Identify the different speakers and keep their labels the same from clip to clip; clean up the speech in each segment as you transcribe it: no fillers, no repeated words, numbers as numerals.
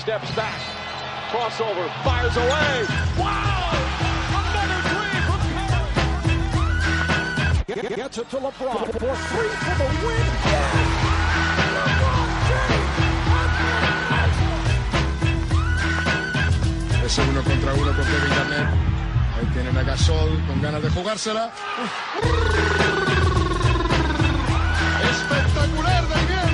Speaker 1: Steps back, crossover, fires away. Wow! Another three from Curry. Gets it to LeBron for three for the win.
Speaker 2: Ese 1 contra 1 con Kevin Garnett. Ahí tienen a Gasol con ganas de jugársela. Espectacular también.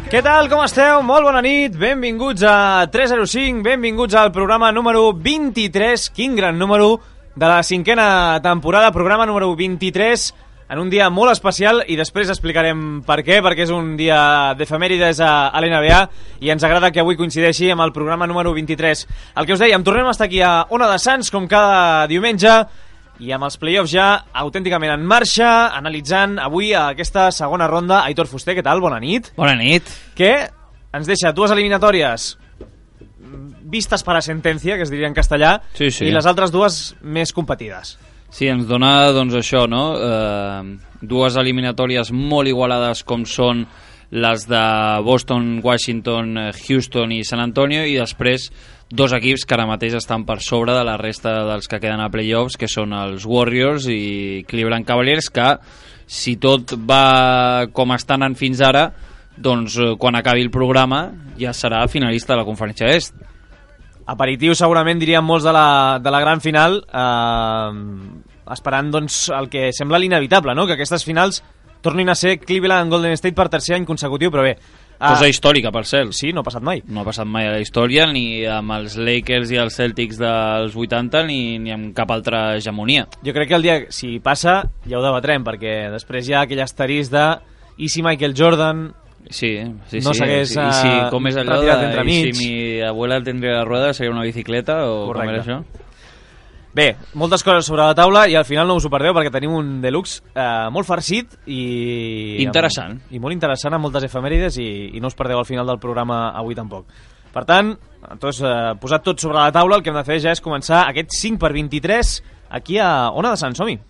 Speaker 3: Què tal, com esteu? Molt bona nit, benvinguts a 305, benvinguts al programa número 23, quin gran número de la cinquena temporada, programa número 23, en un dia molt especial i després explicarem per què, perquè és un dia d'efemèrides a l'NBA i ens agrada que avui coincideixi amb el programa número 23. El que us dèiem, tornem a estar aquí a Ona de Sants, com cada diumenge, i amb els playoffs ja autènticament en marxa, analitzant avui aquesta segona ronda. Aitor Fuster, què tal? Bona nit.
Speaker 4: Bona nit.
Speaker 3: Que ens deixa dues eliminatòries vistes per a sentència, que es diria en castellà,
Speaker 4: sí, sí.
Speaker 3: I les altres dues més competides.
Speaker 4: Sí, ens dona doncs això, no? Dues eliminatòries molt igualades com són les de Boston, Washington, Houston i San Antonio, i després dos equips que ara mateix estan per sobre de la resta dels que queden a playoffs, que són els Warriors i Cleveland Cavaliers, que si tot va com estan anant fins ara, doncs quan acabi el programa ja serà finalista de la Conferència Est.
Speaker 3: Aperitiu segurament diríem molts de la gran final, esperant doncs el que sembla l'inevitable, no? Que aquestes finals tornin a ser Cleveland Golden State per tercer any consecutiu, però bé,
Speaker 4: cosa històrica, per cert.
Speaker 3: Sí, no ha passat mai.
Speaker 4: No ha passat mai a la història, ni amb els Lakers i els Celtics dels 80, ni amb cap altra hegemonia.
Speaker 3: Jo crec que el dia, si passa, ja ho debatrem, perquè després hi ha aquell asterisc de i si Michael Jordan no s'hagués
Speaker 4: com és allò
Speaker 3: retirat
Speaker 4: i si mi abuela tendría la rueda seria una bicicleta o correcte. Com era això?
Speaker 3: Bé, moltes coses sobre la taula i al final no us ho perdeu perquè tenim un deluxe molt farcit i
Speaker 4: interessant.
Speaker 3: I molt interessant amb moltes efemèrides i no us perdeu al final del programa avui tampoc. Per tant, doncs, posat tot sobre la taula, el que hem de fer ja és començar aquest 5x23 aquí a Ona de Sant Som-hi.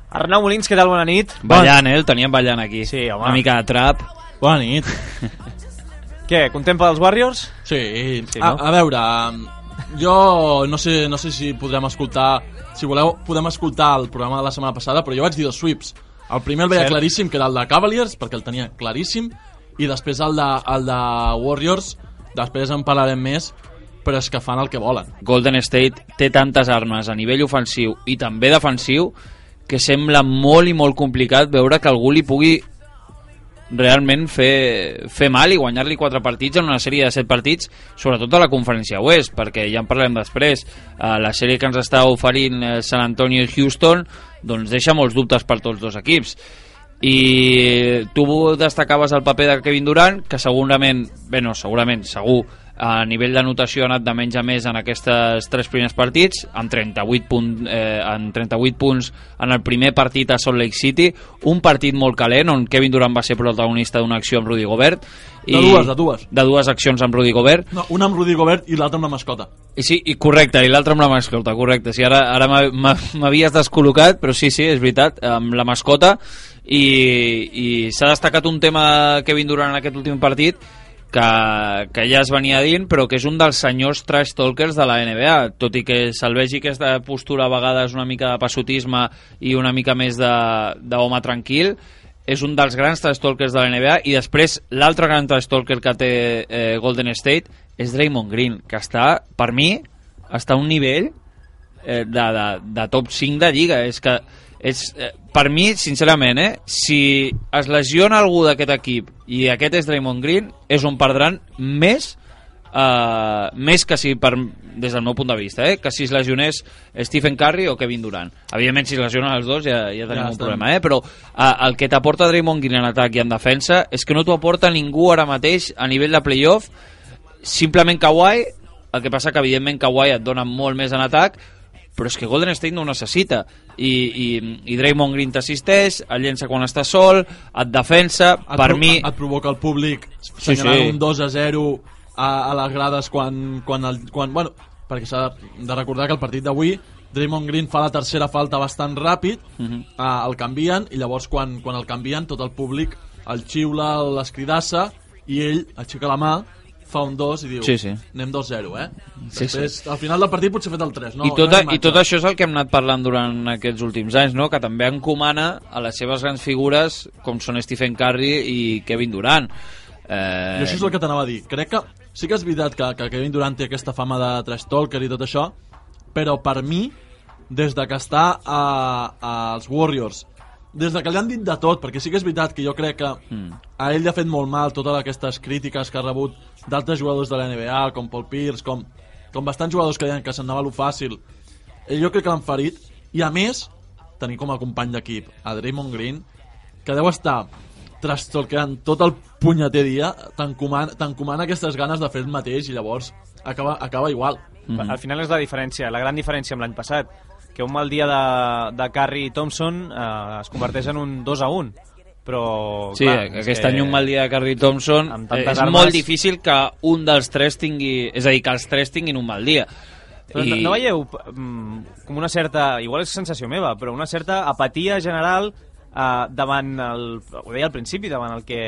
Speaker 3: Arnau Molins, què tal? Bona nit.
Speaker 4: Ballant, el teníem ballant aquí.
Speaker 3: Sí, home.
Speaker 4: Una mica de trap.
Speaker 5: Bona nit.
Speaker 3: Què, content pels Warriors?
Speaker 5: Sí,
Speaker 3: no?
Speaker 5: A veure, jo no sé si podrem escoltar, si voleu podem escoltar el programa de la setmana passada, però jo vaig dir dos sweeps. El primer el veia claríssim, que era el de Cavaliers, perquè el tenia claríssim, i després el de Warriors, després en parlarem més, però és que fan el que volen.
Speaker 4: Golden State té tantes armes a nivell ofensiu i també defensiu que sembla molt i molt complicat veure que algú li pugui realment fer mal i guanyar-li 4 partits en una sèrie de 7 partits, sobretot a la Conferència Oest, perquè ja en parlem després. La sèrie que ens està oferint San Antonio i Houston doncs deixa molts dubtes per tots dos equips. I tu destacaves el paper de Kevin Durant, que segurament, segur, a nivell d'anotació ha anat de menys a més en aquests 3 primers partits, amb 38 punts en el primer partit a Salt Lake City, un partit molt calent on Kevin Durant va ser protagonista d'una acció amb Rudy Gobert
Speaker 5: de dues
Speaker 4: accions amb Rudy Gobert,
Speaker 5: una amb Rudy Gobert i l'altra amb la mascota.
Speaker 4: Sí, correcte, i l'altra amb la mascota, correcte. Sí, ara m'havies descol·locat, però sí, és veritat, amb la mascota, i s'ha destacat un tema Kevin Durant en aquest últim partit que ja es venia dient, però que és un dels senyors trash talkers de la NBA, tot i que se'l vegi aquesta postura a vegades una mica de passotisme i una mica més d'home tranquil. És un dels grans trash talkers de la NBA. I després l'altre gran trash talker que té Golden State és Draymond Green, que està, per mi, està a un nivell de top 5 de Lliga. És que per mi, sincerament, si es lesiona algú d'aquest equip i aquest és Draymond Green, és on perdran més que si des del meu punt de vista, que si es lesionés Stephen Curry o Kevin Durant. Evidentment, si es lesionen els dos ja tenim un problema, però el que t'aporta Draymond Green en atac i en defensa és que no t'ho aporta ningú ara mateix a nivell de playoff. Simplement Kawhi, el que passa que evidentment Kawhi et dona molt més en atac, però és que Golden State no ho necessita i Draymond Green t'assisteix, et llença quan està sol, et defensa,
Speaker 5: et provoca el públic senyalant un 2-0 a les grades quan bueno, perquè s'ha de recordar que el partit d'avui Draymond Green fa la tercera falta bastant ràpid, el canvien i llavors quan el canvien tot el públic el xiula, l'escridassa i ell aixeca la mà, fa un 2 i diu anem 2-0, després al final del partit potser ha fet el 3
Speaker 4: i tot això és el que hem anat parlant durant aquests últims anys, no? Que també encomana a les seves grans figures com són Stephen Curry i Kevin Durant.
Speaker 5: I això és el que t'anava a dir. Crec que sí que és veritat que Kevin Durant té aquesta fama de trash talker i tot això, però per mi, des de que està als Warriors, des de que li han dit de tot, perquè sí que és veritat que jo crec que a ell li ha fet molt mal totes aquestes crítiques que ha rebut d'altres jugadors de la NBA, com Paul Pierce, com bastants jugadors que deien que s'anava lo fàcil. Jo crec que l'han ferit, i a més, tenir com a company d'equip a Draymond Green, que deu estar trastornant tot el punyeter dia, t'encomana aquestes ganes de fer el mateix i llavors acaba igual.
Speaker 3: Al final és la diferència, la gran diferència amb l'any passat, que un mal dia de Curry i Thompson es converteix en un 2-1, però
Speaker 4: clar, aquest any un mal dia de Curry i Thompson és molt difícil que un dels tres tingui, és a dir, que els tres tinguin un mal dia.
Speaker 3: Però no veieu com una certa, igual és sensació meva, però una certa apatia general davant ho deia al principi, davant el que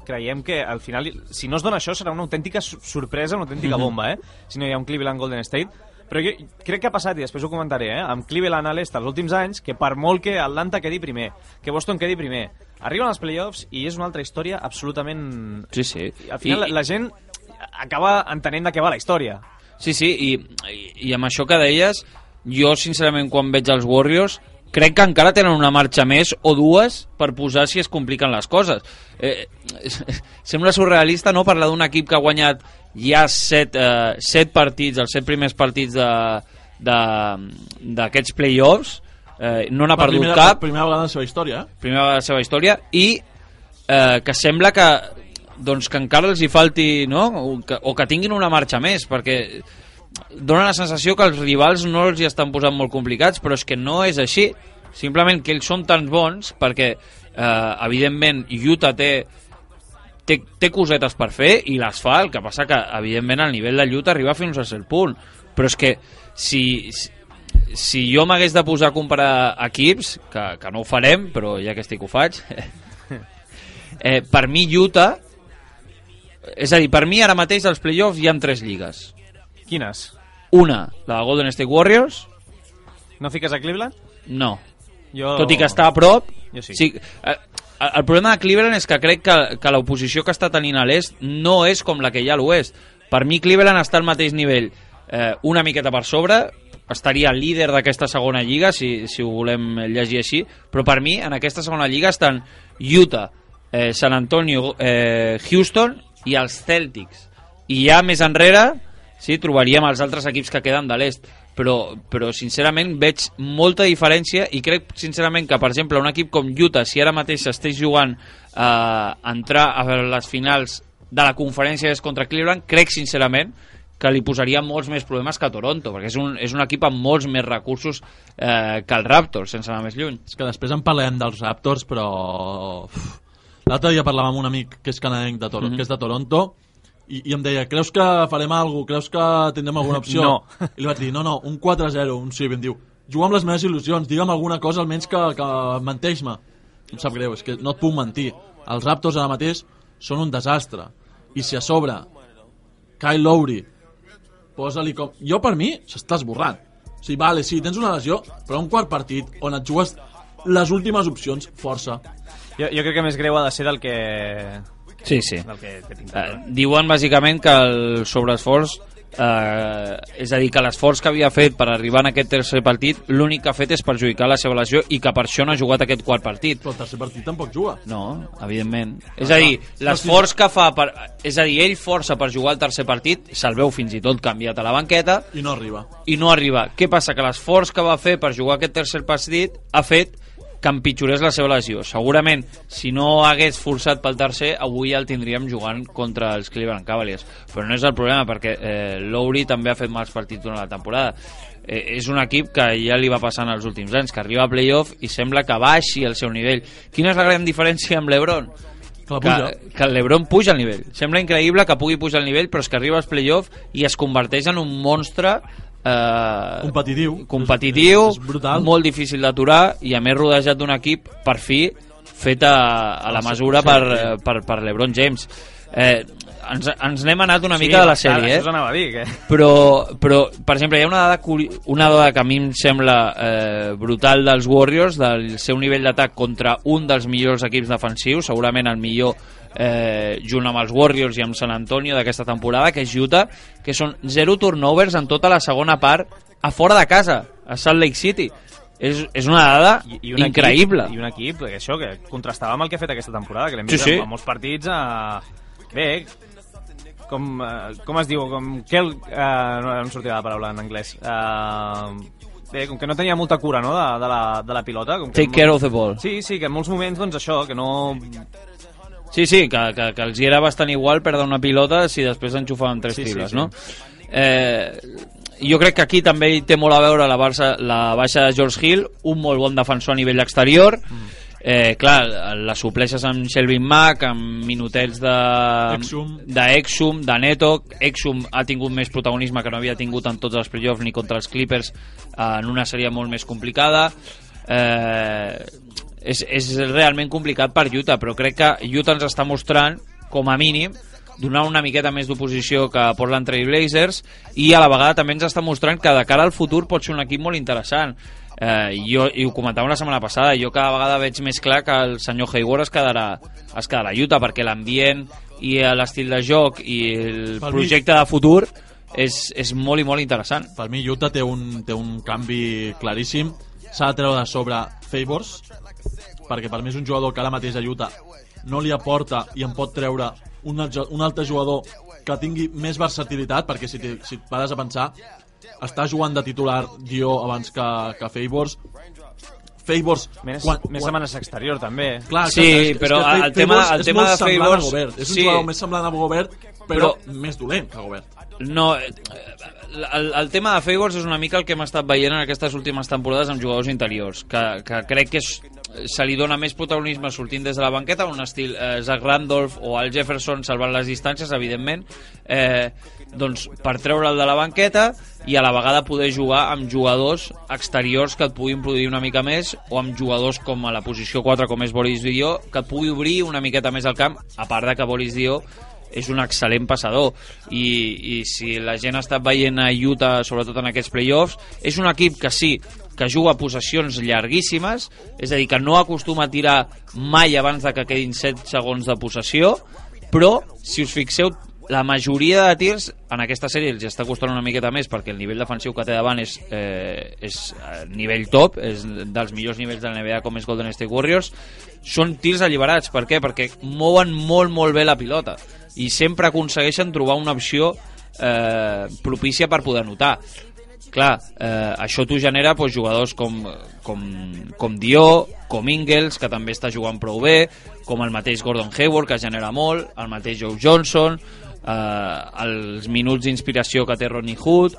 Speaker 3: creiem que al final, si no es dona això, serà una autèntica sorpresa, una autèntica bomba, si no hi ha un Cleveland Golden State. Però jo crec que ha passat, i després ho comentaré, amb Cleveland a l'est els últims anys, que per molt que Atlanta quedi primer, que Boston quedi primer, arriben als playoffs i és una altra història absolutament...
Speaker 4: Sí.
Speaker 3: Al final la gent acaba entenent de què va la història.
Speaker 4: Sí, i amb això que deies, jo sincerament quan veig els Warriors crec que encara tenen una marxa més o dues per posar si es compliquen les coses. Sembla surrealista, no?, parlar d'un equip que ha guanyat ja 7 partits, els 7 primers partits d'aquests playoffs, no n'ha perdut cap.
Speaker 5: Primera vegada en la seva història.
Speaker 4: Primera vegada en la seva història, i que sembla que encara els hi falti, no?, o que tinguin una marxa més, perquè dona la sensació que els rivals no els hi estan posant molt complicats, però és que no és així. Simplement que ells són tan bons perquè, evidentment, Utah té cosetes per fer i les fa, el que passa que, evidentment, el nivell de Utah arriba fins a cert punt. Però és que si jo m'hagués de posar a comparar equips, que no ho farem, però ja que estic ho faig, per mi Utah, és a dir, per mi ara mateix als playoffs hi ha 3 lligues.
Speaker 3: Quines?
Speaker 4: Una, la de Golden State Warriors.
Speaker 3: No fiques a Cleveland?
Speaker 4: No. Tot i que està a prop.
Speaker 3: Jo sí.
Speaker 4: El problema de Cleveland és que crec que l'oposició que està tenint a l'est no és com la que hi ha a l'oest. Per mi Cleveland està al mateix nivell, una miqueta per sobre, estaria líder d'aquesta segona lliga, si ho volem llegir així, però per mi en aquesta segona lliga estan Utah, San Antonio, Houston i els Celtics. I ja més enrere trobaríem els altres equips que queden de l'est, però sincerament veig molta diferència i crec sincerament que, per exemple, un equip com Utah, si ara mateix estigués jugant a entrar a les finals de la conferència contra Cleveland, crec sincerament que li posaria molts més problemes que a Toronto, perquè és un equip amb molts més recursos que el Raptors, sense anar més lluny.
Speaker 5: És que després en parlem dels Raptors, però l'altre dia parlàvem amb un amic que és canadenc de Toronto, que és de Toronto, i em deia, creus que farem alguna cosa? Creus que tindrem alguna opció?
Speaker 3: No.
Speaker 5: I li vaig dir, no, un 4-0, un 6, i em diu, juga amb les meves il·lusions, digue'm alguna cosa almenys que menteix-me. Em sap greu, és que no et puc mentir. Els Raptors ara mateix són un desastre. I si a sobre Kyle Lowry posa-li com... Jo, per mi, s'està esborrant. O sigui, vale, sí, tens una lesió, però un quart partit on et jugues les últimes opcions, força.
Speaker 3: Jo crec que més greu ha de ser del que...
Speaker 4: Sí.
Speaker 3: Del que
Speaker 4: diuen bàsicament que el sobreesforç és a dir, que l'esforç que havia fet per arribar en aquest tercer partit, l'únic que ha fet és perjudicar la seva lesió i que per això no ha jugat aquest quart partit.
Speaker 5: Però el tercer partit tampoc juga.
Speaker 4: No, evidentment. És a dir, l'esforç que fa és a dir, ell força per jugar el tercer partit, se'l veu fins i tot canviat a la banqueta
Speaker 5: I no arriba.
Speaker 4: Què passa? Que l'esforç que va fer per jugar aquest tercer partit ha fet que empitjorés la seva lesió. Segurament, si no hagués forçat pel tercer, avui ja el tindríem jugant contra els Cleveland Cavaliers. Però no és el problema, perquè Lowry també ha fet mals partits durant la temporada. És un equip que ja li va passant els últims anys, que arriba a playoff i sembla que baixi el seu nivell. Quina és la gran diferència amb l'Ebron? Que el LeBron puja al nivell. Sembla increïble que pugui pujar al nivell, però és que arriba als playoff i es converteix en un monstre competitiu,
Speaker 5: és brutal,
Speaker 4: molt difícil d'aturar i a més rodejat d'un equip per fi fet a la mesura per LeBron James. Ens n'hem anat una mica de la sèrie,
Speaker 3: això s'anava a dir, que...
Speaker 4: però per exemple hi ha una dada que a mi em sembla brutal dels Warriors, del seu nivell d'atac contra un dels millors equips defensius, segurament el millor junt amb els Warriors i amb San Antonio d'aquesta temporada, que és Utah, que són 0 turnovers en tota la segona part a fora de casa, a Salt Lake City. És una dada increïble.
Speaker 3: I un equip que contrastava amb el que ha fet aquesta temporada, que l'hem vist en molts partits bé, com es diu, com que no em sortia la paraula en anglès, bé, com que no tenia molta cura, no, de la pilota, com que
Speaker 4: take care of the ball.
Speaker 3: Sí, que en molts moments doncs això, que no...
Speaker 4: Sí, que els hi era bastant igual perdre una pilota si després enxufaven 3 tibles, no? Jo crec que aquí també hi té molt a veure la baixa de George Hill, un molt bon defensor a nivell exterior. Clar, la supleixes amb Shelvin Mack, amb minutets d'Exum, de Neto. Exum ha tingut més protagonisme que no havia tingut en tots els playoffs ni contra els Clippers en una sèrie molt més complicada. És realment complicat per Utah, però crec que Utah ens està mostrant, com a mínim, donar una miqueta més d'oposició que Portland Trail Blazers, i a la vegada també ens està mostrant que de cara al futur pot ser un equip molt interessant. I ho comentàvem la setmana passada, jo cada vegada veig més clar que el senyor Hayward es quedarà a Utah, perquè l'ambient i l'estil de joc i el projecte de futur és molt i molt interessant.
Speaker 5: Per mi Utah té un canvi claríssim. S'ha de treure de sobre Favors, perquè per mi és un jugador que ara mateix a Utah no li aporta i en pot treure un altre jugador que tingui més versatilitat, perquè si et pares a pensar, està jugant de titular Dio abans que Favors.
Speaker 3: Més setmanes exterior també.
Speaker 5: Clar,
Speaker 4: sí, però el tema de Favors
Speaker 5: és un jugador més semblant a Gobert, però més dolent que Gobert.
Speaker 4: No, el tema de Favors és una mica el que hem estat veient en aquestes últimes temporades amb jugadors interiors, que crec que se li dona més protagonisme sortint des de la banqueta, un estil Zach Randolph o Al Jefferson salvant les distàncies, evidentment, doncs per treure'l de la banqueta i a la vegada poder jugar amb jugadors exteriors que et puguin produir una mica més, o amb jugadors com a la posició 4 com és Boris Dio, que et pugui obrir una miqueta més el camp, a part de que Boris Dio és un excel·lent passador i si la gent ha estat veient a Utah sobretot en aquests playoffs, és un equip que sí, que juga possessions llarguíssimes, és a dir, que no acostuma a tirar mai abans de que quedin 7 segons de possessió, però si us fixeu, la majoria de tirs en aquesta sèrie els està costant una miqueta més perquè el nivell defensiu que té davant és nivell top, és dels millors nivells de la NBA com és Golden State Warriors. Són tirs alliberats. Per què? Perquè mouen molt bé la pilota i sempre aconsegueixen trobar una opció propícia per poder anotar. Clar, això t'ho genera doncs, jugadors com Dio, com Ingles, que també està jugant prou bé, com el mateix Gordon Hayward, que genera molt, el mateix Joe Johnson, els minuts d'inspiració que té Rodney Hood,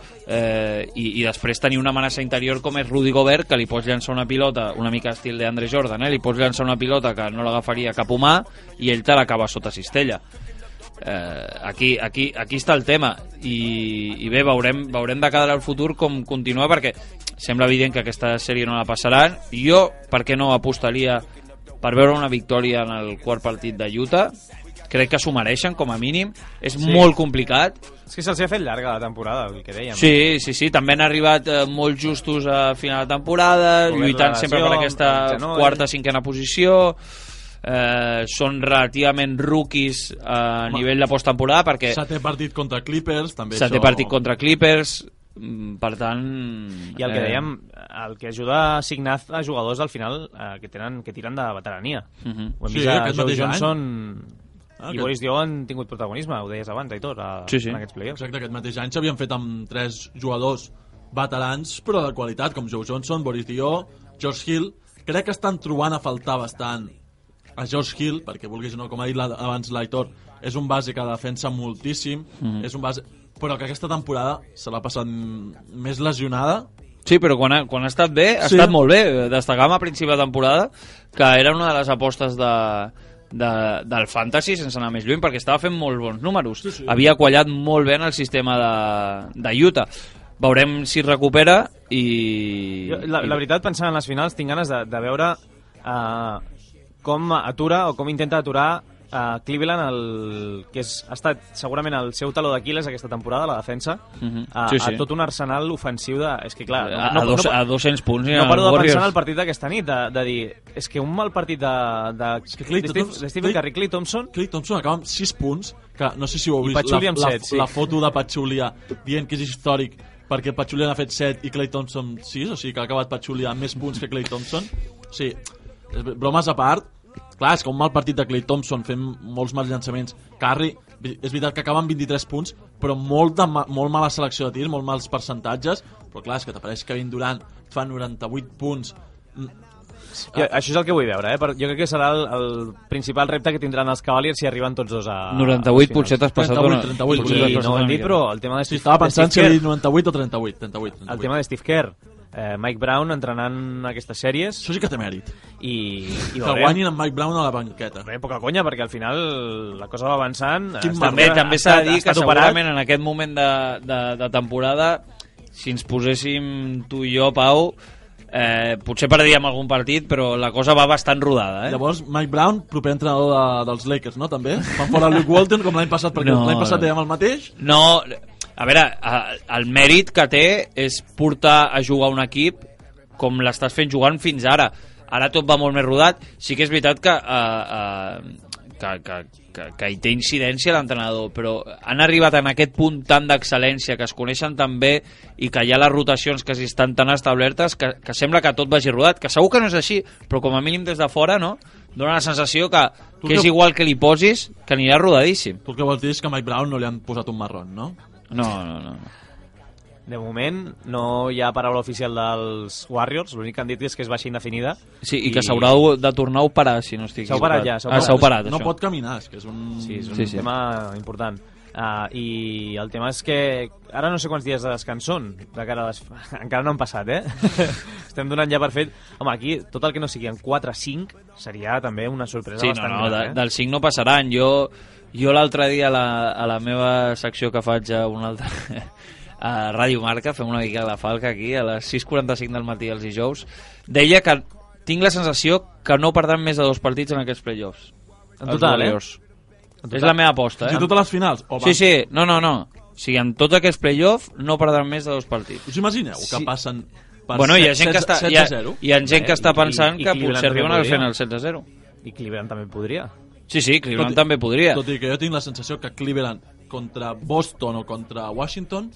Speaker 4: i després tenir una amenaça interior com és Rudy Gobert, que li pots llançar una pilota una mica estil d'Andre Jordan, li pots llançar una pilota que no l'agafaria cap humà i ell te l'acaba sota cistella. Aquí està el tema i bé, veurem de cara al futur com continua, perquè sembla evident que aquesta sèrie no la passaran. Jo, per què no apostaria per veure una victòria en el quart partit de Utah? Crec que s'ho mereixen, com a mínim. És molt complicat.
Speaker 3: És que se'ls ha fet llarga la temporada, el que dèiem.
Speaker 4: Sí, també han arribat molt justos a final de temporada, lluitant sempre per aquesta quarta, cinquena posició. són relativament rookies a nivell de posttemporada, perquè
Speaker 5: Setè partit contra Clippers, també
Speaker 4: setè partit contra Clippers, per tant...
Speaker 3: I el que dèiem, el que ajuda a assignar a jugadors al final que tiren de veterania. Ho hem vist a Joe Johnson i Boris Dio han tingut protagonisme, ho deies abans, Aitor, en aquests playoffs.
Speaker 5: Exacte, aquest mateix any s'havien fet amb 3 jugadors veterans, però de qualitat, com Joe Johnson, Boris Dio, George Hill. Crec que estan trobant a faltar bastant a George Hill, perquè vulguis o no, com ha dit abans l'Aitor, és un base que defensa moltíssim, és un base... però que aquesta temporada se l'ha passat més lesionada.
Speaker 4: Sí, però quan ha estat bé, ha estat molt bé. Destacàvem a principi de temporada que era una de les apostes del Fantasy, sense anar més lluny, perquè estava fent molt bons números. Sí. Havia quallat molt bé en el sistema de Utah. Veurem si recupera i...
Speaker 3: La veritat, pensant en les finals, tinc ganes de veure com atura o com intenta aturar Cleveland, que ha estat segurament el seu taló d'Aquil·les aquesta temporada, la defensa, a tot un arsenal ofensiu de... És que clar...
Speaker 4: A 200 punts.
Speaker 3: No paro de pensar en el partit d'aquesta nit, de dir, és que un mal partit de Stephen Curry, Klay Thompson
Speaker 5: acaba amb 6 punts, que no sé si ho heu vist, la foto de Pachulia dient que és històric perquè Pachulia n'ha fet 7 i Klay Thompson 6, o sigui que ha acabat Pachulia amb més punts que Klay Thompson. O sigui, bromes a part, clar, és que un mal partit de Klay Thompson fent molts mals llançaments. Curry, és veritat que acaba amb 23 punts, però molt mala selecció de tir, molt mals percentatges, però clar, és que t'apareix Kevin Durant, fa 98 punts.
Speaker 3: Això és el que vull veure, jo crec que serà el principal repte que tindran els Cavaliers si arriben tots dos a...
Speaker 4: 98 potser t'has passat...
Speaker 5: 38,
Speaker 3: no ho hem dit, però el tema de Steve...
Speaker 5: Estava pensant si havia dit 98 o 38.
Speaker 3: El tema de Steve Kerr, Mike Brown entrenant aquestes sèries.
Speaker 5: Això sí que té mèrit.
Speaker 3: I
Speaker 5: que guanyin amb Mike Brown a la banqueta.
Speaker 3: Poca conya, perquè al final la cosa va avançant.
Speaker 4: També s'ha de dir que segurament en aquest moment de temporada, si ens poséssim tu i jo, Pau, potser perdíem algun partit, però la cosa va bastant rodada.
Speaker 5: Llavors, Mike Brown, proper entrenador dels Lakers, no? També? Fan fora Luke Walton, com l'any passat, perquè l'any passat dèiem el mateix.
Speaker 4: No, a veure, el mèrit que té és portar a jugar un equip com l'estàs fent jugant fins ara. Ara tot va molt més rodat. Sí que és veritat que hi té incidència l'entrenador, però han arribat en aquest punt tan d'excel·lència, que es coneixen tan bé i que hi ha les rotacions que estan tan establertes que sembla que tot vagi rodat, que segur que no és així, però com a mínim des de fora, no? Dóna la sensació que és igual que li posis, que anirà rodadíssim.
Speaker 5: Tu el que vols dir és que a Mike Brown no li han posat un marrón, no?
Speaker 4: No.
Speaker 3: De moment no hi ha paraula oficial dels Warriors, l'únic que han dit és que és baixa indefinida.
Speaker 4: Sí, i que s'haurà de tornar a operar, si no estic
Speaker 3: equivocat. S'ha operat ja.
Speaker 4: S'ha operat,
Speaker 5: no pot caminar, és que és un...
Speaker 3: Sí, és un tema important. I el tema és que ara no sé quants dies de descans són de cara a les... encara no han passat, estem donant ja per fet. Home, aquí tot el que no sigui en 4-5 seria també una sorpresa bastant gran.
Speaker 4: Del 5 no passaran. Jo l'altre dia a la meva secció que faig a un altre a Ràdio Marca, fem una mica de falca aquí a les 6:45 del matí els dijous, deia que tinc la sensació que no perdran més de 2 partits en aquests playoffs.
Speaker 3: En total,
Speaker 4: És la meva aposta,
Speaker 5: I totes les finals?
Speaker 4: Sí, no. O sigui, en tots aquests playoffs no perdran més de 2 partits.
Speaker 5: Us imagineu que passen per
Speaker 4: hi ha gent que està 7-0? Hi ha gent que està pensant que potser arriben al final 7-0.
Speaker 3: I Cleveland també podria.
Speaker 4: Sí, Cleveland també podria.
Speaker 5: Tot i que jo tinc la sensació que Cleveland contra Boston o contra Washington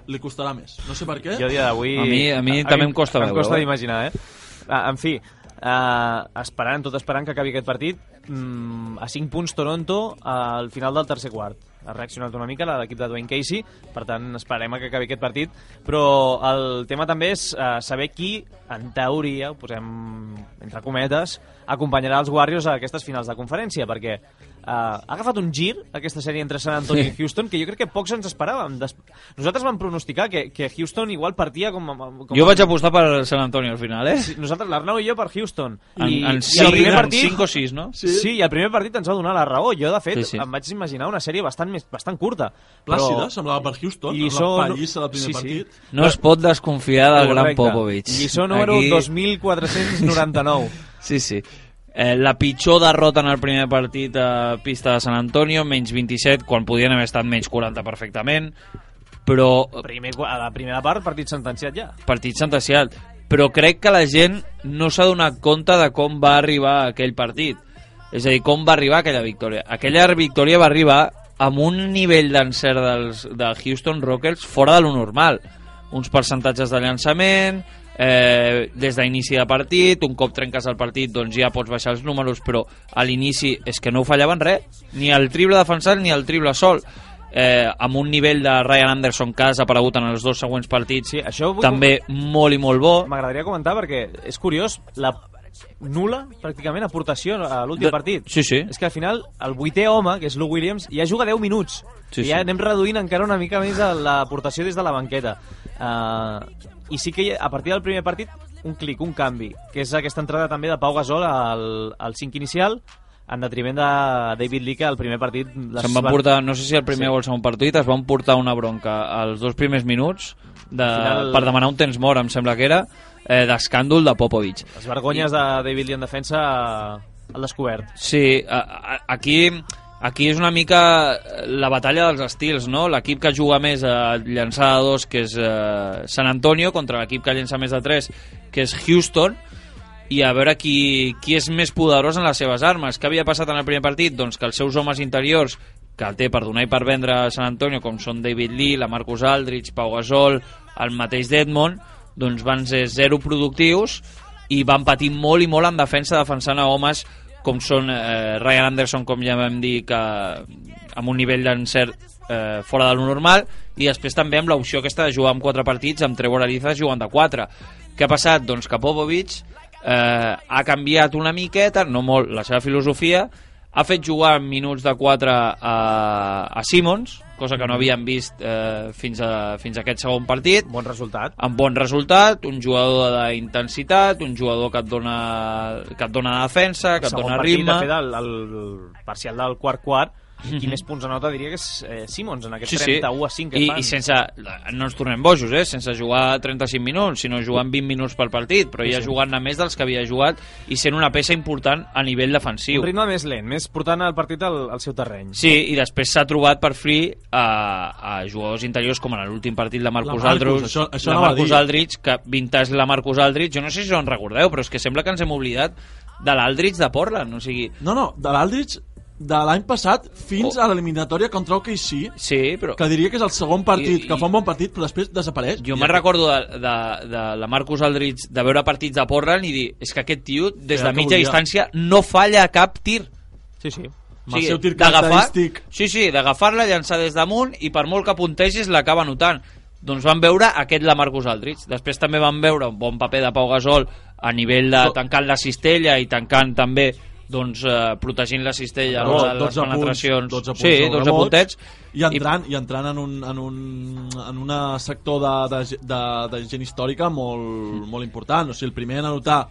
Speaker 5: li costarà més. No sé per què.
Speaker 3: Jo dia d'avui...
Speaker 4: A mi també em costa veure.
Speaker 3: Em costa d'imaginar, En fi, tot esperant que acabi aquest partit, a 5 punts Toronto al final del tercer quart. Ha reaccionat una mica l'equip de Dwayne Casey, per tant esperem que acabi aquest partit, però el tema també és saber qui, en teoria, ho posem entre cometes, acompanyarà els Warriors a aquestes finals de conferència, perquè ha agafat un gir aquesta sèrie entre San Antonio i Houston que jo crec que pocs ens esperàvem. Nosaltres vam pronosticar que Houston igual partia com
Speaker 4: jo vaig apostar per San Antonio al final,
Speaker 3: Sí, nosaltres, l'Arnau i jo, per Houston.
Speaker 4: I el primer partit... 5 o 6, no?
Speaker 3: Sí, i el primer partit ens va donar la raó. Jo, de fet, em vaig imaginar una sèrie bastant curta.
Speaker 5: Plàcida, semblava per Houston, amb la pallissa del primer partit.
Speaker 4: No es pot desconfiar del gran Popovich.
Speaker 3: Lliçó número 2499.
Speaker 4: Sí. La pitjor derrota en el primer partit a pista de San Antonio, menys 27, quan podien haver estat menys 40 perfectament, però...
Speaker 3: A la primera part, partit sentenciat ja.
Speaker 4: Partit sentenciat, però crec que la gent no s'ha donat compte de com va arribar aquell partit. És a dir, com va arribar aquella victòria? Aquella victòria va arribar amb un nivell d'encert de Houston Rockets fora de lo normal. Uns percentatges de llançament, des d'inici de partit, un cop trenques el partit doncs ja pots baixar els números, però a l'inici és que no fallaven res, ni el triple defensat ni el triple sol. Amb un nivell de Ryan Anderson que ha desaparegut en els 2 següents partits, sí, això també molt i molt bo.
Speaker 3: M'agradaria comentar perquè és curiós la nul·la, pràcticament, aportació a l'últim partit.
Speaker 4: Sí, sí.
Speaker 3: És que al final el 8è home, que és Lou Williams, ja juga 10 minuts.
Speaker 4: Sí,
Speaker 3: i ja
Speaker 4: sí.
Speaker 3: anem reduint encara una mica més l'aportació des de la banqueta. I sí que a partir del primer partit, un clic, un canvi, que és aquesta entrada també de Pau Gasol al 5 inicial, en detriment de David Lee, que al primer partit...
Speaker 4: Se'n van portar, no sé si el primer o el segon partit, es van portar una bronca als 2 primers minuts per demanar un temps mort, em sembla que era, d'escàndol de Popovich.
Speaker 3: Les vergonyes de David Lee en defensa al descobert.
Speaker 4: Sí, aquí és una mica la batalla dels estils, no? L'equip que juga més a llançar de 2, que és San Antonio, contra l'equip que llença més de 3, que és Houston, i a veure qui és més poderós en les seves armes. Què havia passat en el primer partit? Doncs que els seus homes interiors, que té per donar i per vendre a San Antonio, com són David Lee, la Marcus Aldridge, Pau Gasol, el mateix Dedmon, doncs van ser 0 productius i van patir molt i molt en defensa, defensant a homes com són Ryan Anderson, com ja vam dir, que amb un nivell d'encert fora de lo normal, i després també amb l'opció aquesta de jugar amb 4 partits, amb Trevor Ariza jugant de 4. Què ha passat? Doncs que Popovich ha canviat una miqueta, no molt, la seva filosofia, ha fet jugar en minuts de 4 a Simmons, cosa que no havíem vist fins a aquest segon partit.
Speaker 3: Bon resultat.
Speaker 4: Amb bon resultat, un jugador d'intensitat, un jugador que et dona defensa, que et dona ritme.
Speaker 3: De fet, el parcial del quart, qui més punts anota diria que és Simmons en aquest 31-5 que fan.
Speaker 4: I sense, no ens tornem bojos, sense jugar 35 minuts, sinó jugant 20 minuts per partit, però ja jugant a més dels que havia jugat i sent una peça important a nivell defensiu.
Speaker 3: Un ritme més lent, més portant el partit al seu terreny.
Speaker 4: Sí, i després s'ha trobat per fi a jugadors interiors com en l'últim partit de Marcus Aldridge, que vintage la Marcus Aldridge, jo no sé si en recordeu, però és que sembla que ens hem oblidat de l'Aldridge de Portland, o sigui...
Speaker 5: No, de l'Aldridge de l'any passat fins a l'eliminatòria contra OKC,
Speaker 4: sí, però...
Speaker 5: que diria que és el segon partit, que fa un bon partit, però després desapareix.
Speaker 4: Jo me'n recordo de la Marcus Aldridge de veure partits de Portland i dir, és que aquest tio, des de mitja distància, no falla cap tir.
Speaker 3: Sí, sí.
Speaker 5: Amb el seu tir característic.
Speaker 4: Sí, d'agafar-la, llançar des damunt i per molt que puntegis l'acaba notant. Doncs van veure aquest la Marcus Aldridge. Després també van veure un bon paper de Pau Gasol a nivell de tancant la cistella i tancant també protegint la cistella a les penetracions.
Speaker 5: 12 punts,
Speaker 4: sí, 12 puntets.
Speaker 5: I entrant en un sector de gent històrica molt important. O sigui, el primer en anotar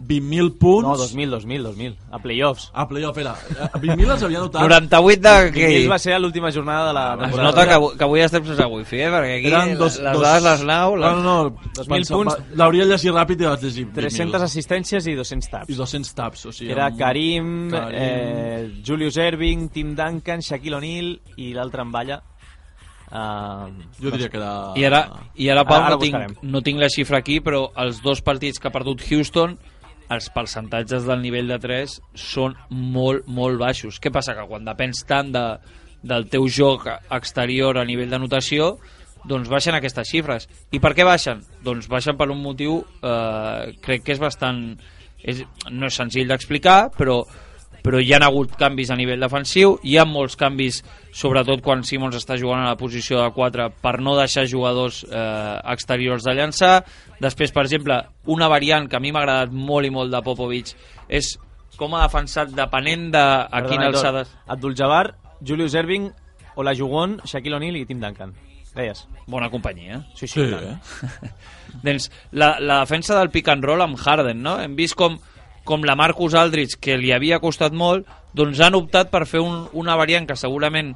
Speaker 5: 20.000 punts...
Speaker 3: No, 2.000, a playoffs.
Speaker 5: A playoff, era. 20.000 els havia anotat.
Speaker 4: 98 de...
Speaker 3: 20.000 va ser l'última jornada de la temporada.
Speaker 4: Es nota que avui estem sense wifi, perquè aquí les dades les nau...
Speaker 5: No,
Speaker 3: 2.000 punts.
Speaker 5: L'hauria llegit ràpid i vaig llegir
Speaker 3: 300 assistències i 200 taps.
Speaker 5: I 200 taps, o sigui...
Speaker 3: Era Karim, Julius Erving, Tim Duncan, Shaquille O'Neal i l'altre en balla.
Speaker 5: Jo diria que era...
Speaker 4: I ara Pau, no tinc la xifra aquí, però els 2 partits que ha perdut Houston, els percentatges del nivell de 3 són molt, molt baixos. Què passa? Que quan depens tant del teu joc exterior a nivell d'anotació, doncs baixen aquestes xifres. I per què baixen? Doncs baixen per un motiu, crec que és bastant... no és senzill d'explicar, però hi ha hagut canvis a nivell defensiu, hi ha molts canvis, sobretot quan Simmons està jugant a la posició de 4 per no deixar jugadors exteriors de llançar. Després, per exemple, una variant que a mi m'ha agradat molt i molt de Popovich és com ha defensat depenent de a quina alçada...
Speaker 3: Abdul-Jabbar, Julius Erving, Olajuwon, Shaquille O'Neal i Tim Duncan. Deies?
Speaker 4: Bona companyia.
Speaker 3: Sí.
Speaker 4: Doncs la defensa del pick and roll amb Harden, no? Hem vist com la Marcus Aldridge, que li havia costat molt, doncs han optat per fer una variant que segurament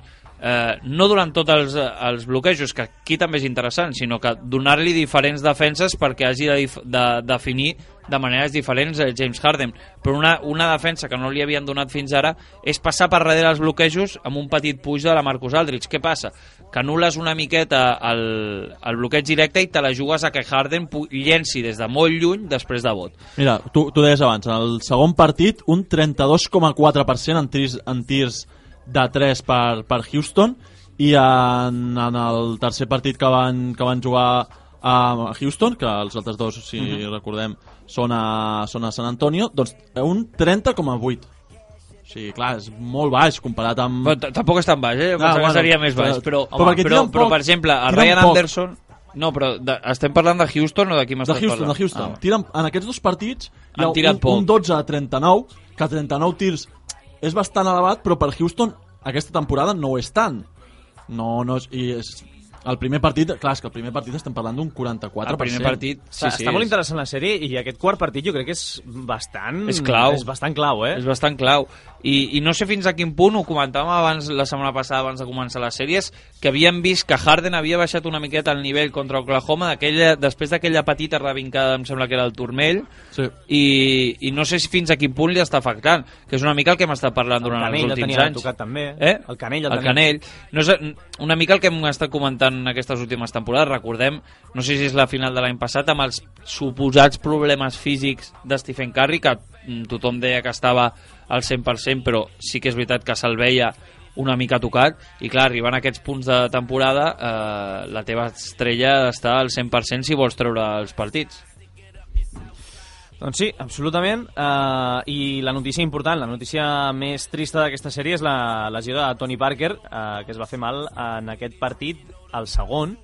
Speaker 4: no durant tots els bloquejos, que aquí també és interessant, sinó que donar-li diferents defenses perquè hagi de definir de maneres diferents James Harden. Però una defensa que no li havien donat fins ara és passar per darrere els bloquejos amb un petit puix de la Marcus Aldridge. Què passa? que anules una miqueta el bloqueig directe i te la jugues a que Harden llenci des de molt lluny després de vot.
Speaker 5: Mira, tu deies abans, en el segon partit un 32,4% en tirs de 3 per Houston, i en el tercer partit que van jugar a Houston, que els altres dos, si recordem, són a San Antonio, doncs un 30,8%. O sigui, clar, és molt baix comparat amb...
Speaker 4: Però tampoc és tan baix, jo pensava que seria més baix, però per exemple, el Ryan Anderson... No, però estem parlant de Houston o de qui m'estàs parlant?
Speaker 5: De Houston. En aquests dos partits hi ha un 12 a 39, que 39 tirs és bastant elevat, però per Houston aquesta temporada no ho és tant. No és... El primer partit, clar, és que el primer partit estem parlant d'un 44%.
Speaker 4: El primer partit, sí.
Speaker 3: Està molt interessant la sèrie, i aquest quart partit jo crec que és bastant...
Speaker 4: És clau.
Speaker 3: És bastant clau, eh?
Speaker 4: És bastant clau. I no sé fins a quin punt, ho comentàvem abans, la setmana passada, abans de començar les sèries, que havíem vist que Harden havia baixat una miqueta el nivell contra Oklahoma després d'aquella petita revincada, em sembla que era el turmell,
Speaker 5: sí.
Speaker 4: I no sé si fins a quin punt li està afectant, que és una mica el que hem estat parlant durant els últims anys.
Speaker 3: Tocat, també.
Speaker 4: El Canell. No és una mica el que hem estat comentant en aquestes últimes temporades. Recordem, no sé si és la final de l'any passat, amb els suposats problemes físics de Stephen Curry, que tothom deia que estava al 100%, però sí que és veritat que se'l veia una mica tocat, i clar, arribant a aquests punts de temporada, la teva estrella està al 100% si vols treure els partits.
Speaker 3: Doncs sí, absolutament. I la notícia important, la notícia més trista d'aquesta sèrie és la lesió de Tony Parker, que es va fer mal en aquest partit, el segon,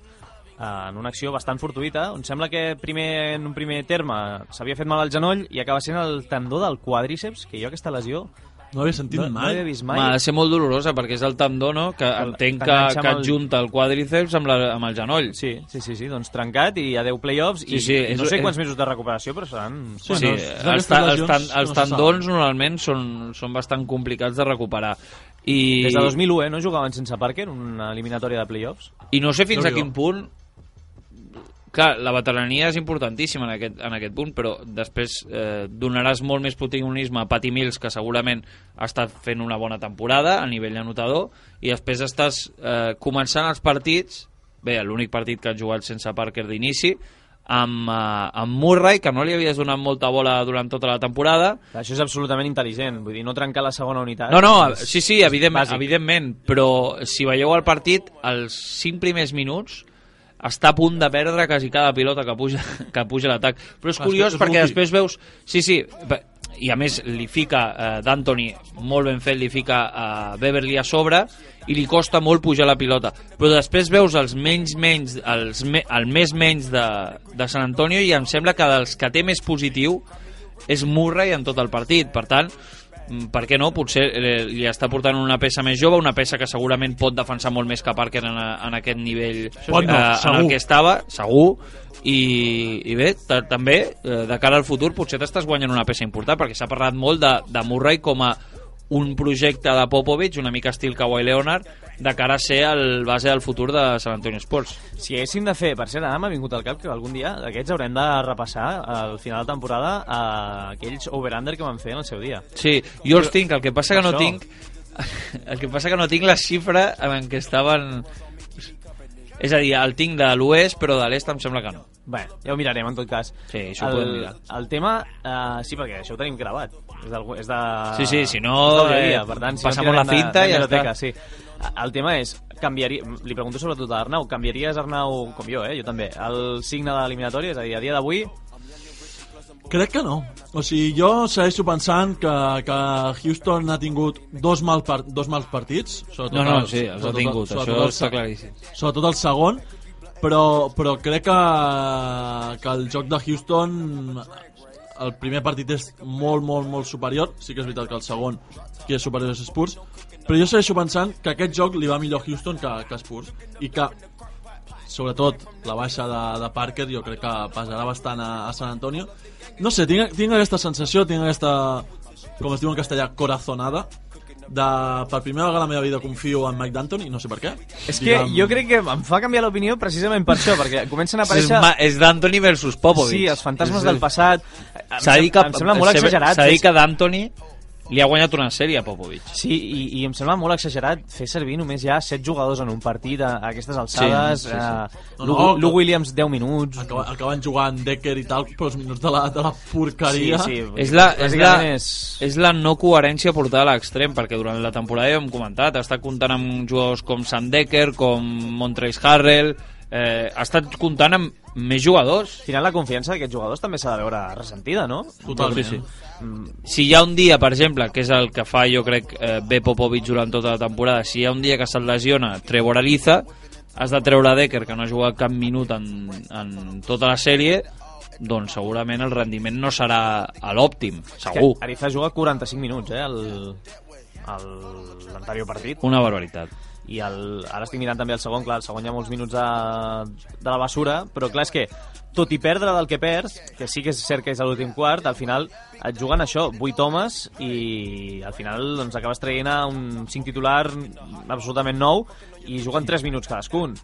Speaker 3: en una acció bastant fortuïta, on sembla que en un primer terme s'havia fet mal al genoll i acaba sent el tendó del quadríceps, que jo aquesta lesió
Speaker 5: no havia sentit mai.
Speaker 3: No havia vist mai.
Speaker 4: Ha de ser molt dolorosa, perquè és el tendó, no?, que entenc que adjunta el quadríceps amb el genoll.
Speaker 3: Sí, doncs trencat i a 10 playoffs, i no sé quants mesos de recuperació, però seran...
Speaker 4: Sí, els tendons normalment són bastant complicats de recuperar.
Speaker 3: Des de 2001, no jugaven sense Parker, una eliminatòria de playoffs.
Speaker 4: I no sé fins a quin punt... Clar, la veterania és importantíssima en aquest punt, però després donaràs molt més protagonisme a Patty Mills, que segurament ha estat fent una bona temporada a nivell anotador, i després estàs començant els partits, bé, l'únic partit que han jugat sense Parker d'inici, amb Murray, que no li havies donat molta bola durant tota la temporada.
Speaker 3: Això és absolutament intel·ligent, vull dir, no trencar la segona unitat.
Speaker 4: No, sí, evidentment, però si veieu el partit, els 5 primers minuts està a punt de perdre quasi cada pilota que puja a l'atac. Però és curiós perquè després veus... Sí, i a més li fica d'Anthony, molt ben fet, li fica Beverly a sobre i li costa molt pujar la pilota. Però després veus el més menys de San Antonio, i em sembla que dels que té més positiu és Murray en tot el partit. Per tant, per què no? Potser li està portant una peça més jove, una peça que segurament pot defensar molt més que Parker en aquest nivell en el que estava, segur. I bé, també de cara al futur potser t'estàs guanyant una peça important, perquè s'ha parlat molt de Murray com a un projecte de Popovich, una mica estil Kawhi Leonard, de cara a ser el base del futur de San Antonio Spurs.
Speaker 3: Si haguéssim de fer, per cert, ara m'ha vingut al cap que algun dia d'aquests haurem de repassar al final de temporada aquells over-under que van fer en el seu dia.
Speaker 4: Sí, jo els tinc, el que passa que no tinc no tinc la xifra en què estaven... És a dir, el tinc de l'oest, però de l'est em sembla que no.
Speaker 3: Bé, ja ho mirarem, en tot cas.
Speaker 4: Sí, això ho podem mirar.
Speaker 3: El tema, sí, perquè això ho tenim gravat. És de...
Speaker 4: Sí, si no,
Speaker 3: per tant, si
Speaker 4: passamos la cinta i ja està.
Speaker 3: Sí. El tema és, li pregunto sobretot a Arnau, canviaries, Arnau, com jo, jo també, el signe de l'eliminatòria? És a dir, a dia d'avui...
Speaker 5: Crec que no. O sigui, jo segueixo pensant que Houston ha tingut dos mals partits.
Speaker 4: Sí, els ha tingut, això està claríssim.
Speaker 5: Sobretot el segon, però crec que el joc de Houston, el primer partit és molt superior. Sí que és veritat que el segon qui és superior és Spurs, però jo segueixo pensant que aquest joc li va millor a Houston que Spurs, i que sobretot la baixa de Parker jo crec que pesarà bastant a San Antonio. No sé, tinc aquesta sensació, tinc aquesta, com es diu en castellà, corazonada, per primera vegada a la meva vida confio en Mike D'Antoni, no sé per què.
Speaker 3: És que jo crec que em fa canviar l'opinió precisament per això, perquè comencen a aparèixer...
Speaker 4: És D'Antoni versus Popovich.
Speaker 3: Sí, els fantasmes del passat.
Speaker 4: Em sembla molt exagerat. S'ha dit que D'Antoni li ha guanyat una sèrie a Popovich.
Speaker 3: Sí, i em sembla molt exagerat fer servir només ja 7 jugadors en un partit a aquestes alçades. Lou Williams 10 minuts.
Speaker 5: Acaben jugant Decker i tal, però els minuts de la porqueria.
Speaker 3: Sí.
Speaker 4: És la no coherència portada a l'extrem, perquè durant la temporada ja hem comentat, ha estat comptant amb jugadors com Sam Decker, com Montrezl Harrell, ha estat comptant amb més jugadors.
Speaker 3: Al final la confiança d'aquests jugadors també s'ha de veure ressentida, no?
Speaker 5: Totalment.
Speaker 4: Sí. Si hi ha un dia, per exemple, que és el que fa jo crec bé Popovich durant tota la temporada, si hi ha un dia que se't lesiona Trevor Ariza, has de treure Decker, que no ha jugat cap minut en tota la sèrie, doncs segurament el rendiment no serà a l'òptim, segur.
Speaker 3: Ariza juga 45 minuts l'anterior partit.
Speaker 4: Una barbaritat.
Speaker 3: I ara estic mirant també el segon, clar, el segon hi ha molts minuts de la basura, però clar, és que tot i perdre del que perds, que sí que és cert que és a l'últim quart, al final et juguen això, 8 homes, i al final doncs, acabes traient a un 5 titular absolutament nou i juguen 3 minuts cadascun.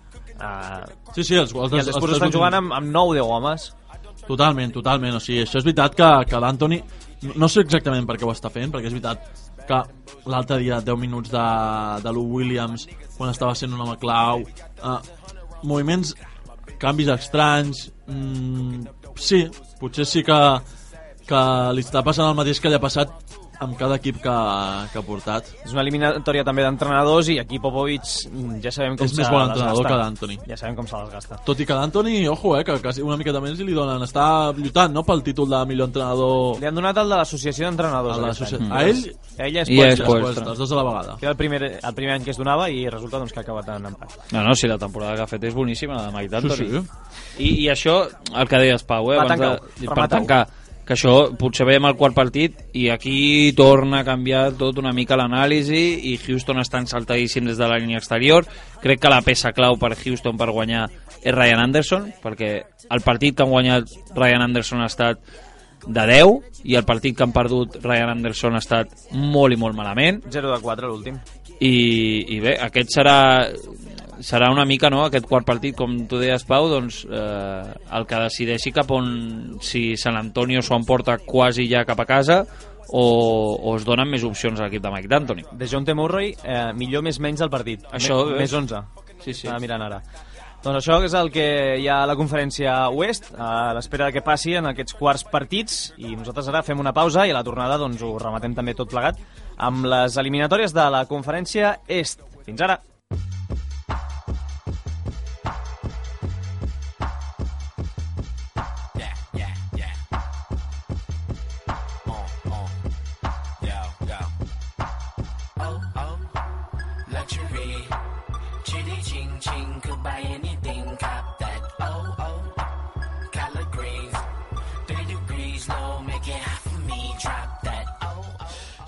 Speaker 5: Sí, els
Speaker 3: Spurs estan jugant amb 9-10 homes.
Speaker 5: Totalment, o sigui, això és veritat que l'Anthony, no sé exactament per què ho està fent, perquè és veritat que l'altre dia 10 minuts de Lou Williams quan estava sent un home clau, moviments, canvis estranys, sí, potser sí que li està passant el mateix que li ha passat amb cada equip que ha portat.
Speaker 3: És una eliminatòria també d'entrenadors i aquí Popovich ja sabem com
Speaker 5: és més bon entrenador que d'Anthony.
Speaker 3: Ja sabem com se les gasta.
Speaker 5: Tot i que d'Anthony, ojo, que quasi una miqueta més li donen. Està lluitant, no?, pel títol de millor entrenador.
Speaker 3: Li han donat el de l'associació d'entrenadors.
Speaker 5: A ell?
Speaker 3: A ell
Speaker 4: i a
Speaker 5: Spoelstra, els dos a la vegada.
Speaker 3: Que era el primer any que es donava i resulta doncs, que ha acabat en empat.
Speaker 4: No, si la temporada que ha fet és boníssima, la de Mike D'Antoni.
Speaker 5: Sí.
Speaker 4: I això, el que deies, Pau, per tancar, que això potser veiem el quart partit i aquí torna a canviar tot una mica l'anàlisi i Houston està ensaltadíssim des de la línia exterior. Crec que la peça clau per Houston per guanyar és Ryan Anderson, perquè el partit que han guanyat Ryan Anderson ha estat de 10 i el partit que han perdut Ryan Anderson ha estat molt i molt malament.
Speaker 3: 0-4 l'últim.
Speaker 4: I bé, aquest serà una mica, no?, aquest quart partit, com tu deies, Pau, doncs el que decideixi cap on, si San Antonio s'ho emporta quasi ja cap a casa o es donen més opcions a l'equip de Mike D'Antoni.
Speaker 3: DeJounte Murray, millor més menys del partit.
Speaker 4: Això,
Speaker 3: més 11.
Speaker 4: Sí.
Speaker 3: Estava mirant ara. Doncs això és el que hi ha a la conferència Oest, a l'espera que passi en aquests quarts partits, i nosaltres ara fem una pausa i a la tornada doncs, ho rematem també tot plegat amb les eliminatòries de la conferència Est. Fins ara!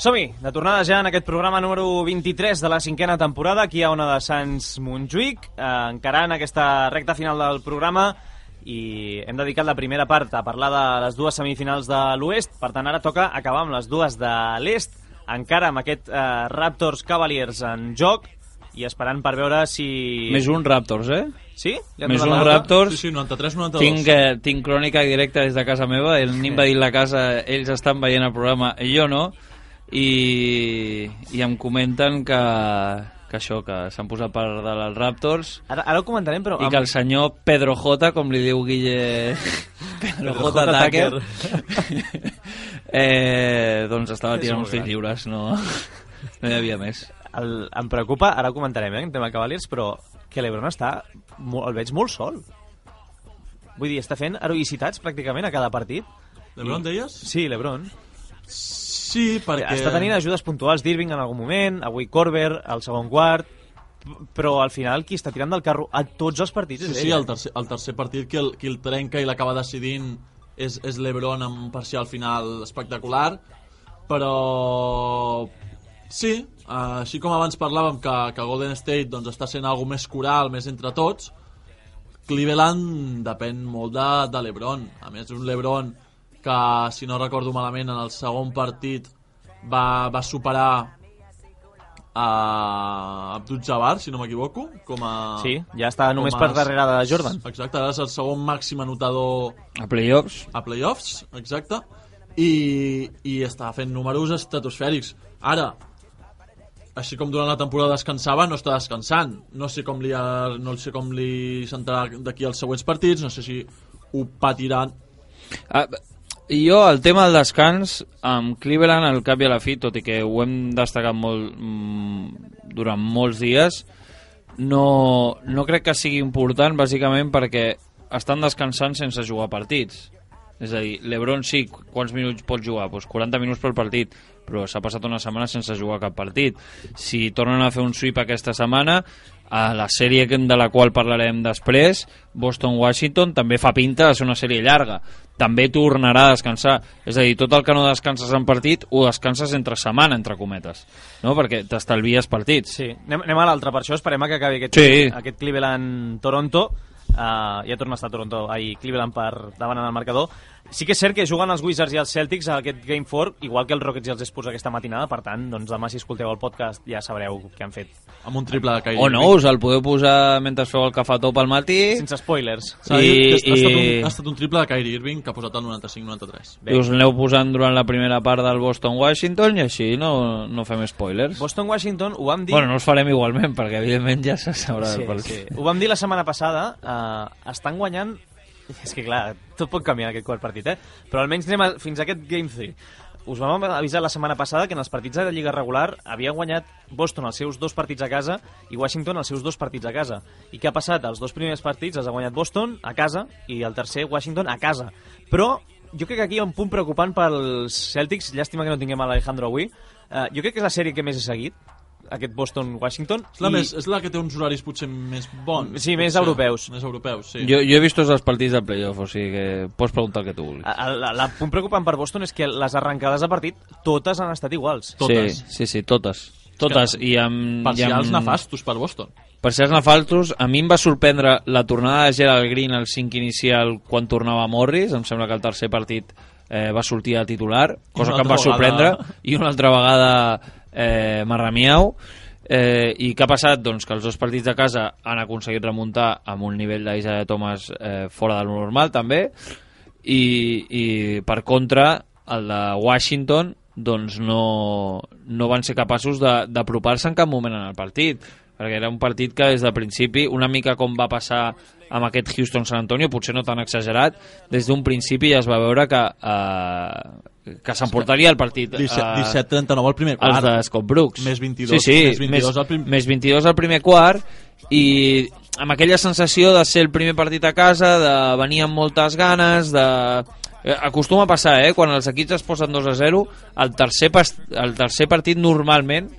Speaker 3: Som-hi, de tornada ja en aquest programa número 23 de la 5a temporada, aquí a Ona de Sants Montjuïc, encarant aquesta recta final del programa, i hem dedicat la primera part a parlar de les dues semifinals de l'Oest. Per tant, ara toca acabar amb les dues de l'Est, encara amb aquest Raptors Cavaliers en joc, i esperant per veure si...
Speaker 4: Més un Raptors,
Speaker 3: Sí?
Speaker 4: Més un Raptors.
Speaker 5: Sí, 93-92.
Speaker 4: Tinc crònica directa des de casa meva, el nin va dir la casa, ells estan veient el programa, jo no, i em comenten que això, que s'han posat per dalt els Raptors.
Speaker 3: Ara ho comentarem, però...
Speaker 4: I que el senyor Pedro J, com li diu Guille... Pedro J. Tucker, doncs estava tirant uns tirs lliures, no hi havia més.
Speaker 3: Em preocupa, ara ho comentarem, en tema Cavaliers, però que l'Ebron el veig molt sol. Vull dir, està fent heroïcitats pràcticament a cada partit.
Speaker 5: L'Ebron deies?
Speaker 3: Sí, l'Ebron.
Speaker 5: Sí, perquè...
Speaker 3: Està tenint ajudes puntuals d'Irving en algun moment, avui Korver, al segon quart, però al final qui està tirant del carro a tots els partits és ell.
Speaker 5: Sí, el tercer partit qui el trenca i l'acaba decidint és l'Ebron amb un parcial final espectacular, però sí, així com abans parlàvem que Golden State doncs, està sent algo més coral, més entre tots, Cleveland depèn molt de l'Ebron. A més, un l'Ebron que, si no recordo malament, en el segon partit va superar a Abdul-Jabbar, si no m'equivoco, com a...
Speaker 3: Sí, ja està només per darrere de Jordan.
Speaker 5: Exacte, ara és el segon màxim anotador
Speaker 4: a playoffs.
Speaker 5: A playoffs, exacte. i està fent números estratosfèrics. Ara, així com durant la temporada descansava, no està descansant. No sé com li sentarà d'aquí als següents partits, no sé si ho patiran.
Speaker 4: Jo, el tema del descans, amb Cleveland, al cap i a la fi, tot i que ho hem destacat molt durant molts dies, no crec que sigui important, bàsicament perquè estan descansant sense jugar partits. És a dir, l'Ebron sí, quants minuts pot jugar? Pues 40 minuts per partit, però s'ha passat una setmana sense jugar cap partit. Si tornen a fer un sweep aquesta setmana, a la sèrie de la qual parlarem després, Boston-Washington, també fa pinta de ser una sèrie llarga. També tornarà a descansar. És a dir, tot el que no descanses en partit ho descanses entre setmana, entre cometes, no? Perquè t'estalvies partits.
Speaker 3: Sí, anem a l'altre, per això esperem que acabi aquest Cleveland-Toronto. Ja torna a estar Cleveland per davant en el marcador. Sí que és cert que juguen els Wizards i els Celtics a aquest Game 4, igual que els Rockets i els Spurs aquesta matinada, per tant, doncs demà si escolteu el podcast ja sabreu què han fet.
Speaker 5: Amb un triple de Kyrie.
Speaker 4: O no, us el podeu posar mentre feu el cafetó pel matí.
Speaker 3: Sense spoilers.
Speaker 5: Ha estat un triple de Kyrie Irving que ha posat el 95-93.
Speaker 4: I us l'aneu posant durant la primera part del Boston-Washington i així no fem spoilers.
Speaker 3: Boston-Washington ho vam dir...
Speaker 4: Bueno, no els farem igualment, perquè evidentment ja se sabrà del partit.
Speaker 3: Sí. Ho vam dir la setmana passada, estan guanyant... És que clar, tot pot canviar en aquest quart partit, però almenys anem fins a aquest Game 3. Us vam avisar la setmana passada que en els partits de la Lliga regular havia guanyat Boston els seus 2 partits a casa i Washington els seus 2 partits a casa. I què ha passat? Els 2 primers partits els ha guanyat Boston a casa i el tercer Washington a casa. Però jo crec que aquí hi ha un punt preocupant pels Celtics, llàstima que no tinguem a l'Alejandro avui. Jo crec que és la sèrie que més he seguit, aquest Boston-Washington.
Speaker 5: És la que té uns horaris potser més bons.
Speaker 3: Sí, més europeus.
Speaker 5: Més europeus, sí.
Speaker 4: Jo he vist tots els partits del playoff, o sigui que pots preguntar el que tu vulguis.
Speaker 3: El punt preocupant per Boston és que les arrencades de partit totes han estat iguals.
Speaker 5: Totes.
Speaker 4: Sí, totes. Totes.
Speaker 5: Parcials nefastos per Boston.
Speaker 4: Parcials nefastos. A mi em va sorprendre la tornada de Gerald Green al 5 inicial quan tornava Morris. Em sembla que el tercer partit va sortir a titular, cosa que em va sorprendre. I una altra vegada Marramiau. I què ha passat? Doncs que els 2 partits de casa han aconseguit remuntar amb un nivell d'Isaiah Thomas fora de lo normal també, i per contra el de Washington doncs no van ser capaços d'apropar-se en cap moment en el partit, perquè era un partit que des del principi, una mica com va passar amb aquest Houston-San Antonio, potser no tan exagerat, des d'un principi ja es va veure que s'emportaria el partit.
Speaker 5: 17-39 al primer quart.
Speaker 4: Els de Scott Brooks.
Speaker 5: Més 22,
Speaker 4: més 22 al primer quart, i amb aquella sensació de ser el primer partit a casa, de venir amb moltes ganes, acostuma a passar, quan els equips es posen 2-0, el tercer partit normalment,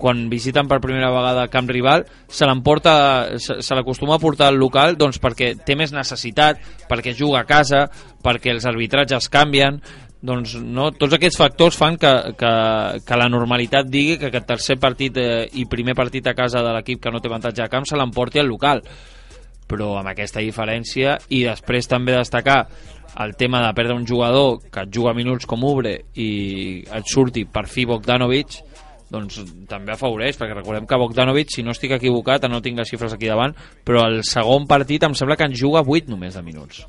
Speaker 4: quan visiten per primera vegada camp rival, se l'acostuma a portar al local, doncs perquè té més necessitat, perquè juga a casa, perquè els arbitratges canvien. Doncs no, tots aquests factors fan que la normalitat digui que aquest tercer partit i primer partit a casa de l'equip que no té avantatge de camp se l'emporti al local. Però amb aquesta diferència, i després també destacar el tema de perdre un jugador que et juga minuts com Oubre i et surti per fi Bogdanovic, doncs també afavoreix, perquè recordem que Bogdanovic, si no estic equivocat, no tinc les xifres aquí davant, però el segon partit em sembla que en juga 8 només de minuts.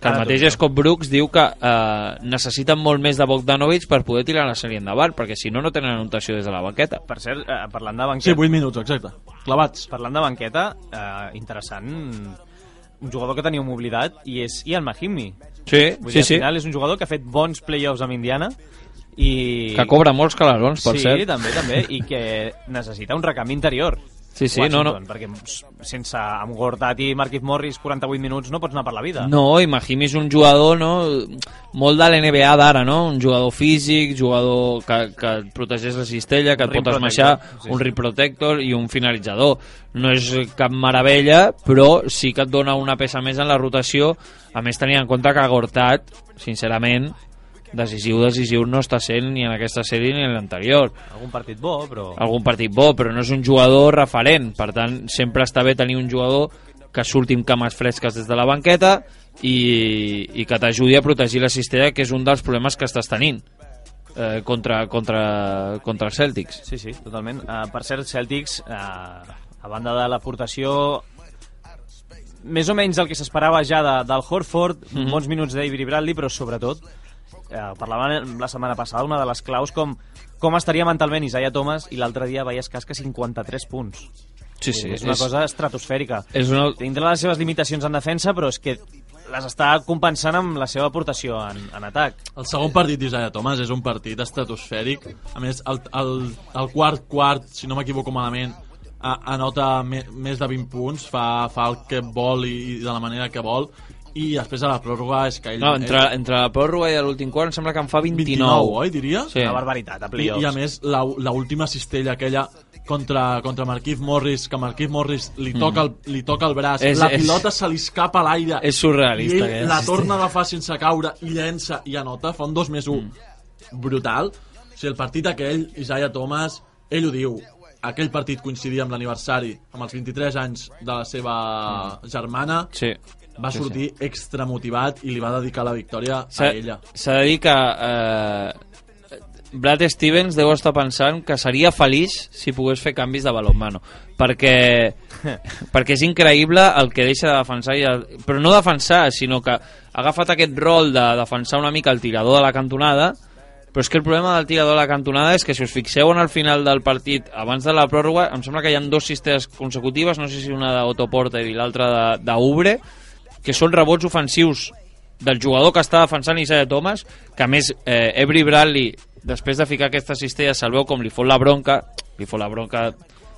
Speaker 4: Que el mateix Scott Brooks diu que necessiten molt més de Bogdanovic per poder tirar la sèrie endavant, perquè si no tenen anotació des de la banqueta.
Speaker 3: Per cert, parlant de banqueta...
Speaker 5: Sí, 8 minuts, exacte. Clavats.
Speaker 3: Parlant de banqueta, interessant, un jugador que teníem oblidat, i és Ian Mahinmi.
Speaker 4: Sí.
Speaker 3: Al final és un jugador que ha fet bons playoffs amb Indiana, i...
Speaker 4: que cobra molts calarons, per cert.
Speaker 3: Sí, també, i que necessita un recamp interior.
Speaker 4: Sí,
Speaker 3: Washington, perquè sense amb Gortat i Marquise Morris 48 minuts no pots anar per la vida.
Speaker 4: No, i Mahinmi és un jugador molt de l'NBA d'ara, un jugador físic, jugador que et protegeix la cistella, que et pot esmaixar, un rim protector i un finalitzador. No és cap meravella, però sí que et dona una peça més en la rotació, a més tenint en compte que Gortat, sincerament, decisiu no està sent ni en aquesta sèrie ni en l'anterior.
Speaker 3: Algun partit bo,
Speaker 4: però no és un jugador referent. Per tant, sempre està bé tenir un jugador que surti amb cames fresques des de la banqueta i que t'ajudi a protegir la cistella, que és un dels problemes que estàs tenint contra els Celtics.
Speaker 3: Sí, totalment. Per cert, Celtics, a banda de l'aportació més o menys el que s'esperava ja del Horford, bons minuts d'Avery Bradley, però sobretot Parlàvem la setmana passada, una de les claus, com estaria mentalment Isaiah Thomas, i l'altre dia veies casca 53 punts.
Speaker 4: Sí,
Speaker 3: és una cosa estratosfèrica. Tindrà les seves limitacions en defensa, però és que les està compensant amb la seva aportació en atac.
Speaker 5: El segon partit d'Isaiah Thomas és un partit estratosfèric. A més, el quart, si no m'equivoco malament, anota més de 20 punts, fa el que vol i de la manera que vol, i després a la pròrroga és que ell...
Speaker 4: No, entre la pròrroga i l'últim quart em sembla que en fa 29.
Speaker 5: 29, oi, diria?
Speaker 3: Sí. Una barbaritat, a playoffs.
Speaker 5: I a més, l'última cistella aquella contra Marquise Morris, que Marquise Morris li toca el braç, la pilota se li escapa a l'aire,
Speaker 4: és surrealista,
Speaker 5: i ell la torna a agafar sense caure i llença i anota, fa un 2+1 brutal. O sigui, el partit aquell, Isaiah Thomas, ell ho diu, aquell partit coincidia amb l'aniversari, amb els 23 anys de la seva germana, va sortir extra motivat i li va dedicar la victòria a ella.
Speaker 4: S'ha de dir que Brad Stevens deu estar pensant que seria feliç si pogués fer canvis de balonmano, perquè és increïble el que deixa de defensar, però no defensar, sinó que ha agafat aquest rol de defensar una mica el tirador de la cantonada. Però és que el problema del tirador de la cantonada és que si us fixeu en el final del partit, abans de la pròrroga, em sembla que hi ha 2 cistelles consecutives, no sé si una d'Otto Porter i l'altra d'Oubre, que són rebots ofensius del jugador que està defensant Isaiah Thomas, que a més Avery Bradley, després de ficar aquesta cistella, se'l veu com li fot la bronca,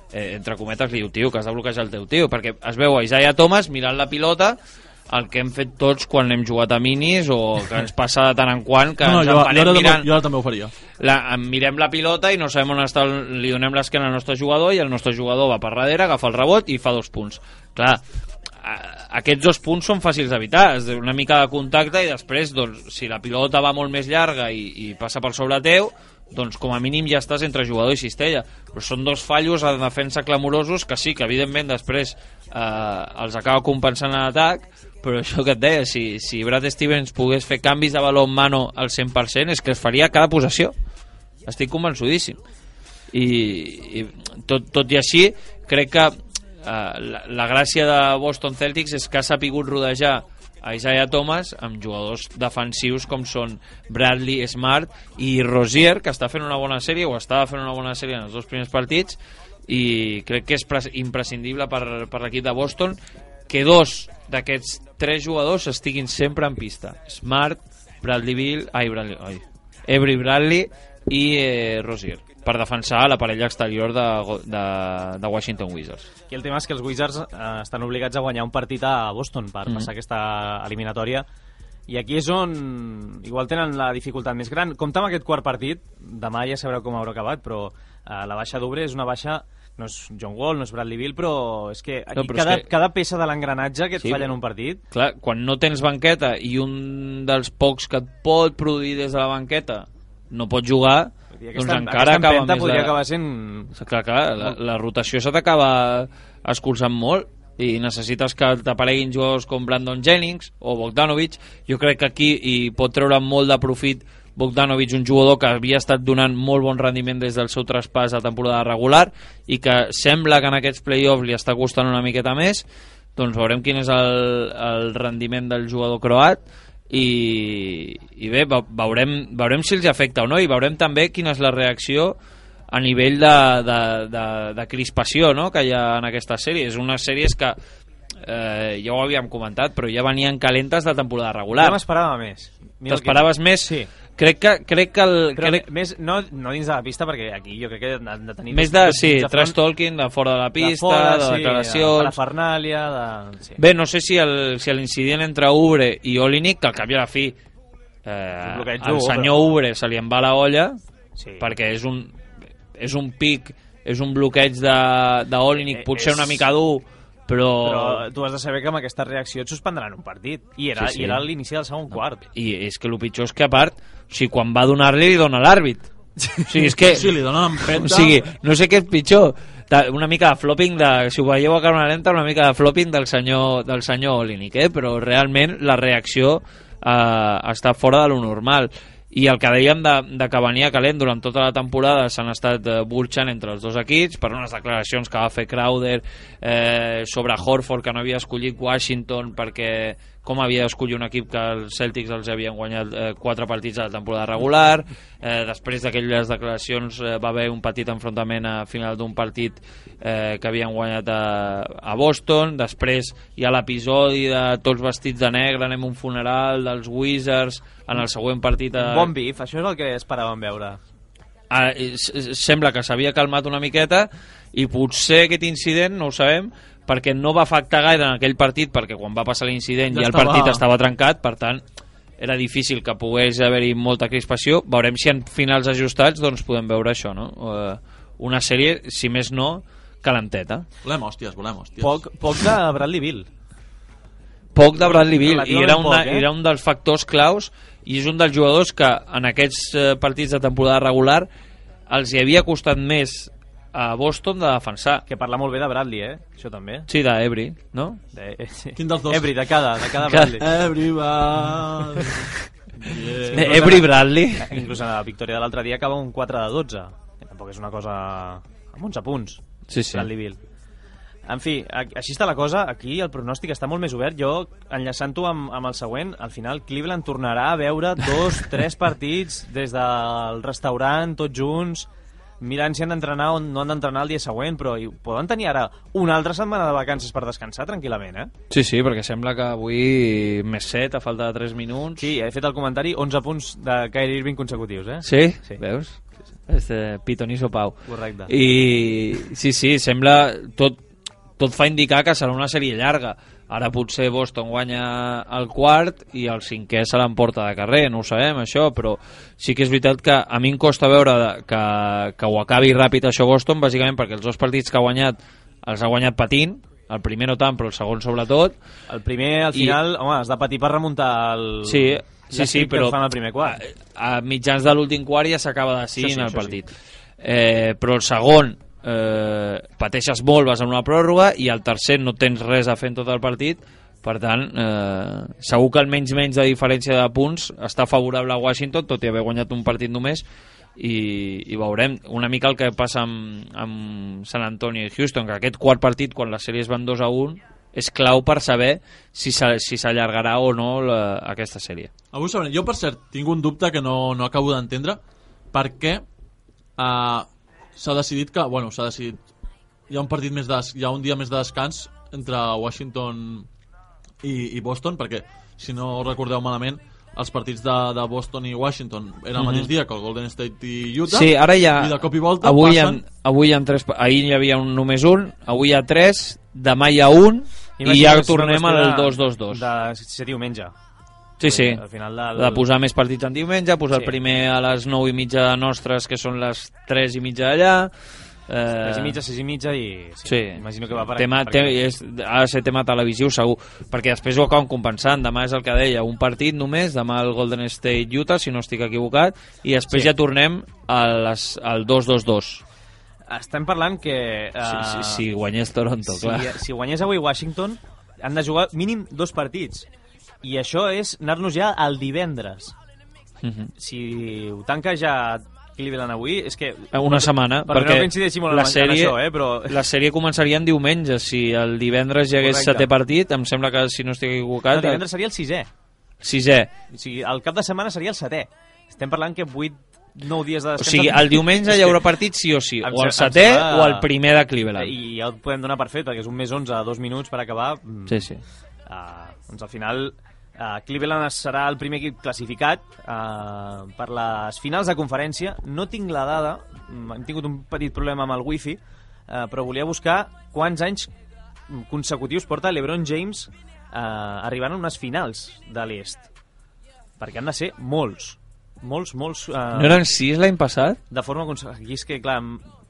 Speaker 4: entre cometes li diu, tio, que has de bloquejar el teu tio, perquè es veu a Isaiah Thomas mirant la pilota, el que hem fet tots quan hem jugat a minis o que ens passa de tant en quant que ens empanem mirant...
Speaker 5: Jo ara també ho faria.
Speaker 4: Mirem la pilota i no sabem on està, li donem l'esquena al nostre jugador i el nostre jugador va per darrere, agafa el rebot i fa 2 punts. Clar, aquests 2 punts són fàcils d'evitar, és una mica de contacte i després, doncs, si la pilota va molt més llarga i passa per sobre teu, doncs com a mínim ja estàs entre jugador i cistella. Però són 2 fallos a defensa clamorosos que sí, que evidentment després els acaba compensant en atac, però això que et deia, si Brad Stevens pogués fer canvis de baló en mano al 100%, és que es faria cada possessió. Estic convençudíssim. I tot i així, crec que la gràcia de Boston Celtics és que ha sapigut rodejar a Isaiah Thomas amb jugadors defensius com són Bradley, Smart i Rozier, que està fent una bona sèrie o estava fent una bona sèrie en els 2 primers partits, i crec que és imprescindible per l'equip de Boston que 2 d'aquests 3 jugadors estiguin sempre en pista. Smart, Avery Bradley i Rozier, per defensar la parella exterior de Washington Wizards.
Speaker 3: I el tema és que els Wizards estan obligats a guanyar un partit a Boston per passar aquesta eliminatòria, i aquí és on igual tenen la dificultat més gran. Compte amb aquest quart partit, demà ja sabreu com haurà acabat, però la baixa d'Oubre és una baixa, no és John Wall, no és Bradley Beal, però és que aquí cada peça de l'engranatge que et falla en un partit...
Speaker 4: Clar, quan no tens banqueta i un dels pocs que et pot produir des de la banqueta no pot jugar, doncs encara acaba més...
Speaker 3: podria acabar sent...
Speaker 4: Clar, la rotació se t'acaba escurçant molt i necessites que t'apareguin jugadors com Brandon Jennings o Bogdanovic. Jo crec que aquí hi pot treure molt de profit Bogdanovic, un jugador que havia estat donant molt bon rendiment des del seu traspàs a temporada regular i que sembla que en aquests play-offs li està costant una miqueta més. Doncs veurem quin és el rendiment del jugador croat i bé, veurem si els afecta o no, i veurem també quina és la reacció a nivell de crispació, no?, que hi ha en aquesta sèrie. És unes sèries que ja ho havíem comentat, però ja venien calentes de temporada regular.
Speaker 3: Jo m'esperava més.
Speaker 4: T'esperaves més?
Speaker 3: Sí.
Speaker 4: Crec que
Speaker 3: més, no dins de la pista, perquè aquí jo crec que han de tenir...
Speaker 4: Més de trash talking de fora de la pista, de declaracions...
Speaker 3: De parafernàlia,
Speaker 4: Sí. Bé, no sé si l'incident entre Oubre i Olynyk, que al cap i a la fi al senyor Oubre se li en va la olla, perquè és un pic, és un bloqueig d'Olynyk, potser una mica dur, però
Speaker 3: tu has de saber que amb aquesta reacció et suspendran un partit, i era l'inici del segon quart.
Speaker 4: I és que el pitjor és que, a part, o sigui, quan va donar-li, li dona l'àrbit. O sigui, és que...
Speaker 5: Sí, li dona l'empenta.
Speaker 4: O sigui, no sé què és pitjor. Una mica de flopping, si ho veieu a càmera lenta, una mica de flopping del senyor Olynyk, però realment la reacció està fora de lo normal. I el que dèiem de que venia calent durant tota la temporada s'han estat burxant entre els dos equips per unes declaracions que va fer Crowder sobre Horford, que no havia escollit Washington perquè com havia d'escollir un equip que els Celtics els havien guanyat 4 partits a la temporada regular. Després d'aquelles declaracions va haver un petit enfrontament a final d'un partit que havien guanyat a Boston. Després hi ha l'episodi de tots vestits de negre, anem a un funeral dels Wizards en el següent partit.
Speaker 3: Bon bif, això és el que esperàvem veure.
Speaker 4: Sembla que s'havia calmat una miqueta i potser aquest incident, no ho sabem, perquè no va afectar gaire en aquell partit, perquè quan va passar l'incident ja el partit estava trencat, per tant era difícil que pogués haver-hi molta crispació. Veurem si en finals ajustats doncs podem veure això, no? Una sèrie, si més no, calenteta.
Speaker 5: Volem hòsties.
Speaker 3: Poc de Bradley Beal.
Speaker 4: Poc de Bradley Beal, i era un dels factors claus, i és un dels jugadors que en aquests partits de temporada regular els hi havia costat més a Boston de defensar.
Speaker 3: Que parla molt bé de Bradley, això també.
Speaker 4: Sí, d'Ebri, no?
Speaker 5: Quin dels dos?
Speaker 3: Ebri, de cada Bradley.
Speaker 5: Ebri va...
Speaker 4: Ebri Bradley.
Speaker 3: Inclús en la victòria de l'altre dia acaba un 4-12, que tampoc és una cosa amb 11 punts.
Speaker 4: Sí.
Speaker 3: Bradley Beal. En fi, així està la cosa. Aquí el pronòstic està molt més obert. Jo, enllaçant-ho amb el següent, al final Cleveland tornarà a veure 2-3 partits des del restaurant, tots junts, mirant si han d'entrenar o no han d'entrenar el dia següent, però poden tenir ara una altra setmana de vacances per descansar tranquil·lament,
Speaker 4: Sí, perquè sembla que avui més 7 a falta de 3 minuts.
Speaker 3: Sí, he fet el comentari, 11 punts de Kyrie Irving consecutius,
Speaker 4: Sí? Veus? Pitoniso Pau.
Speaker 3: Correcte.
Speaker 4: I sí, sembla tot fa indicar que serà una sèrie llarga. Ara potser Boston guanya el quart i el cinquè se l'emporta de carrer, no ho sabem això, però sí que és veritat que a mi em costa veure que ho acabi ràpid això Boston, bàsicament perquè els 2 partits que ha guanyat els ha guanyat patint, el primer no tant, però el segon sobretot.
Speaker 3: El primer, al final, home, has de patir per remuntar el...
Speaker 4: Sí, però
Speaker 3: fan el primer quart.
Speaker 4: A mitjans de l'últim quart ja s'acaba decidint el partit. Però el segon pateixes molt, vas en una pròrroga, i al tercer no tens res a fer en tot el partit, per tant segur que el menys de diferència de punts està favorable a Washington, tot i haver guanyat un partit només, i veurem una mica el que passa amb San Antonio i Houston, que aquest quart partit, quan les sèries van 2-1, és clau per saber si s'allargarà o no aquesta sèrie.
Speaker 5: Avui sabrem. Jo, per cert, tinc un dubte que no acabo d'entendre, perquè s'ha decidit que, hi ha un partit hi ha un dia més de descans entre Washington i Boston, perquè si no recordeu malament els partits de Boston i Washington eren el mateix dia que el Golden State i Utah.
Speaker 4: Sí, ara ja
Speaker 5: i de cop i volta
Speaker 4: avui hi ha 3, ahir hi havia només un, avui hi ha 3, demà hi ha un i ja tornem al 2-2-2
Speaker 3: de ser diumenge.
Speaker 4: Sí.
Speaker 3: Al final
Speaker 4: de posar més partits en diumenge, posar el primer a les 9:30 nostres, que són les 3:30 d'allà.
Speaker 3: 3:30, 6:30 i...
Speaker 4: Sí.
Speaker 3: Imagino que va per
Speaker 4: ha de ser tema televisiu segur, perquè després ho acaben compensant. Demà és el que deia, un partit només, demà el Golden State Utah, si no estic equivocat, i després ja tornem al 2-2-2.
Speaker 3: Estem parlant que...
Speaker 4: Si guanyés Toronto, clar.
Speaker 3: Si guanyés avui Washington, han de jugar mínim 2 partits. I això és anar-nos ja al divendres. Si ho tanca ja Cleveland avui, és que...
Speaker 4: Una setmana, perquè
Speaker 3: no la sèrie, això, però...
Speaker 4: la sèrie començaria en diumenge. Si el divendres hi hagués 7è partit, em sembla que, si no estic equivocat...
Speaker 3: El divendres seria el 6è.
Speaker 4: 6è.
Speaker 3: O sigui, el cap de setmana seria el 7è. Estem parlant que 9 dies de descans...
Speaker 4: O sigui, el diumenge hi haurà partit sí o sí, o el 7è o el primer de Cleveland.
Speaker 3: I ja ho podem donar per fet, perquè és un més 11 a 2 minuts per acabar.
Speaker 4: Sí.
Speaker 3: Doncs al final... Cleveland serà el primer equip classificat per les finals de conferència. No tinc la dada, hem tingut un petit problema amb el wifi, però volia buscar quants anys consecutius porta LeBron James arribant a unes finals de l'est, perquè han de ser molts. No
Speaker 4: eren 6 l'any passat?
Speaker 3: De forma consecutiva. Aquí és que, clar,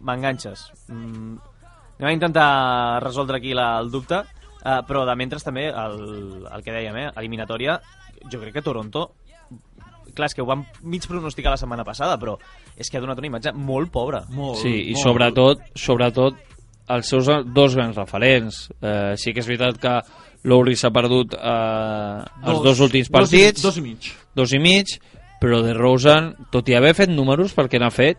Speaker 3: m'enganxes. Anem a intentar resoldre aquí el dubte. Però de mentre també el que dèiem, eliminatòria, jo crec que Toronto, clar, és que ho vam mig pronosticar la setmana passada, però és que ha donat una imatge molt pobra.
Speaker 4: I sobretot els seus 2 grans referents. Sí que és veritat que Lowry s'ha perdut els 2 últims partits, 2 i mig, però DeRozan, tot i haver fet números perquè n'ha fet,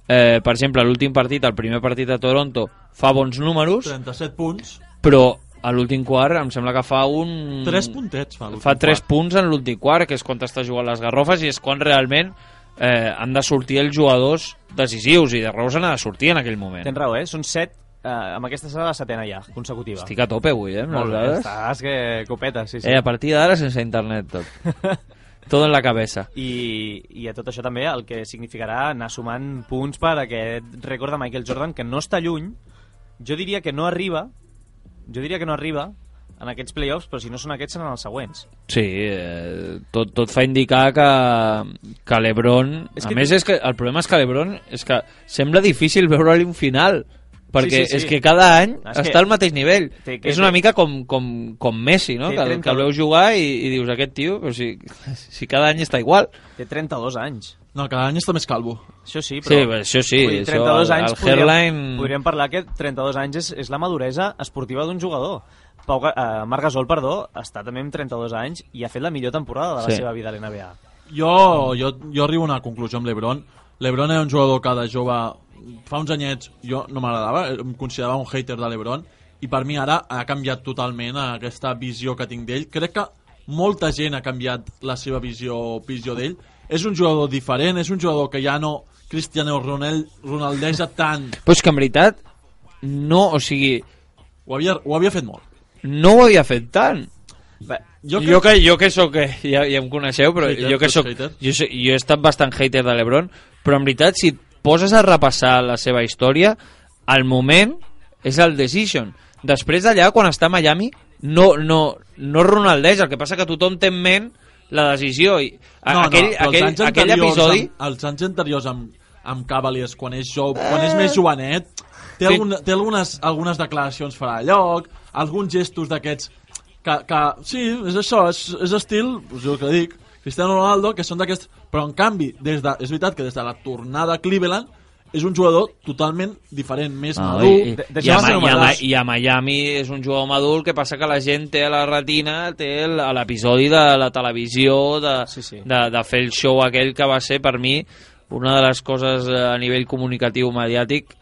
Speaker 4: per exemple, l'últim partit, el primer partit de Toronto, fa bons números,
Speaker 5: 37 punts,
Speaker 4: però a l'últim quart em sembla que fa
Speaker 5: 3 puntets fa l'últim
Speaker 4: fa 3
Speaker 5: quart.
Speaker 4: punts en l'últim quart, que és quan està jugant les garrofes, i és quan realment han de sortir els jugadors decisius, i de Rose n'ha de sortir en aquell moment.
Speaker 3: Tens raó, són 7, amb aquesta serà la 7ena ja, consecutiva.
Speaker 4: Estic a tope avui, amb
Speaker 3: Molt
Speaker 4: les
Speaker 3: bé,
Speaker 4: dades.
Speaker 3: estàs que copeta, sí.
Speaker 4: A partir d'ara sense internet tot. Todo en la cabeza.
Speaker 3: I a tot això també el que significarà anar sumant punts per aquest rècord de Michael Jordan, que no està lluny. Jo diria que no arriba en aquests playoffs, però si no són aquests seran els següents.
Speaker 4: Sí, tot fa indicar que LeBron... A més, és que el problema és que LeBron és que sembla difícil veure-li un final, perquè és que cada any està al mateix nivell. És una mica com Messi, no? Que el veus jugar i dius, aquest tio, però si cada any està igual.
Speaker 3: Té 32 anys.
Speaker 5: No, cada any està més calvo.
Speaker 3: Això sí, però...
Speaker 4: Sí, això sí.
Speaker 3: 32 anys
Speaker 4: el hairline...
Speaker 3: podríem parlar que 32 anys és la maduresa esportiva d'un jugador. Marc Gasol, està també amb 32 anys i ha fet la millor temporada de la seva vida a l'NBA.
Speaker 5: Jo arribo a una conclusió amb LeBron. LeBron era un jugador que de jove, fa uns anyets, jo no m'agradava, em considerava un hater de LeBron, i per mi ara ha canviat totalment aquesta visió que tinc d'ell. Crec que molta gent ha canviat la seva visió d'ell. És un jugador diferent, és un jugador que ja no Cristiano Ronaldeja tant.
Speaker 4: Però és que en veritat no, o sigui...
Speaker 5: Ho havia fet molt.
Speaker 4: No ho havia fet tant.
Speaker 3: Bé,
Speaker 4: jo que soc, ja em coneixeu, però
Speaker 5: hater,
Speaker 4: jo he estat bastant hater de LeBron, però en veritat, si et poses a repassar la seva història, al moment és el decision. Després d'allà, quan està a Miami, no Ronaldeja, el que passa que tothom té en ment la decisió. Aquell episodi...
Speaker 5: Els anys anteriors amb Cavaliers, quan és més jovenet, té algunes declaracions fora de lloc, alguns gestos d'aquests que sí, és això, és estil, jo que dic, Cristiano Ronaldo, que són d'aquests, però en canvi, és veritat que des de la tornada a Cleveland és un jugador totalment diferent, més madur.
Speaker 4: I a Miami és un jugador madur, que passa que la gent té a la retina, té l'episodi de la televisió, de fer el show aquell que va ser, per mi, una de les coses a nivell comunicatiu mediàtic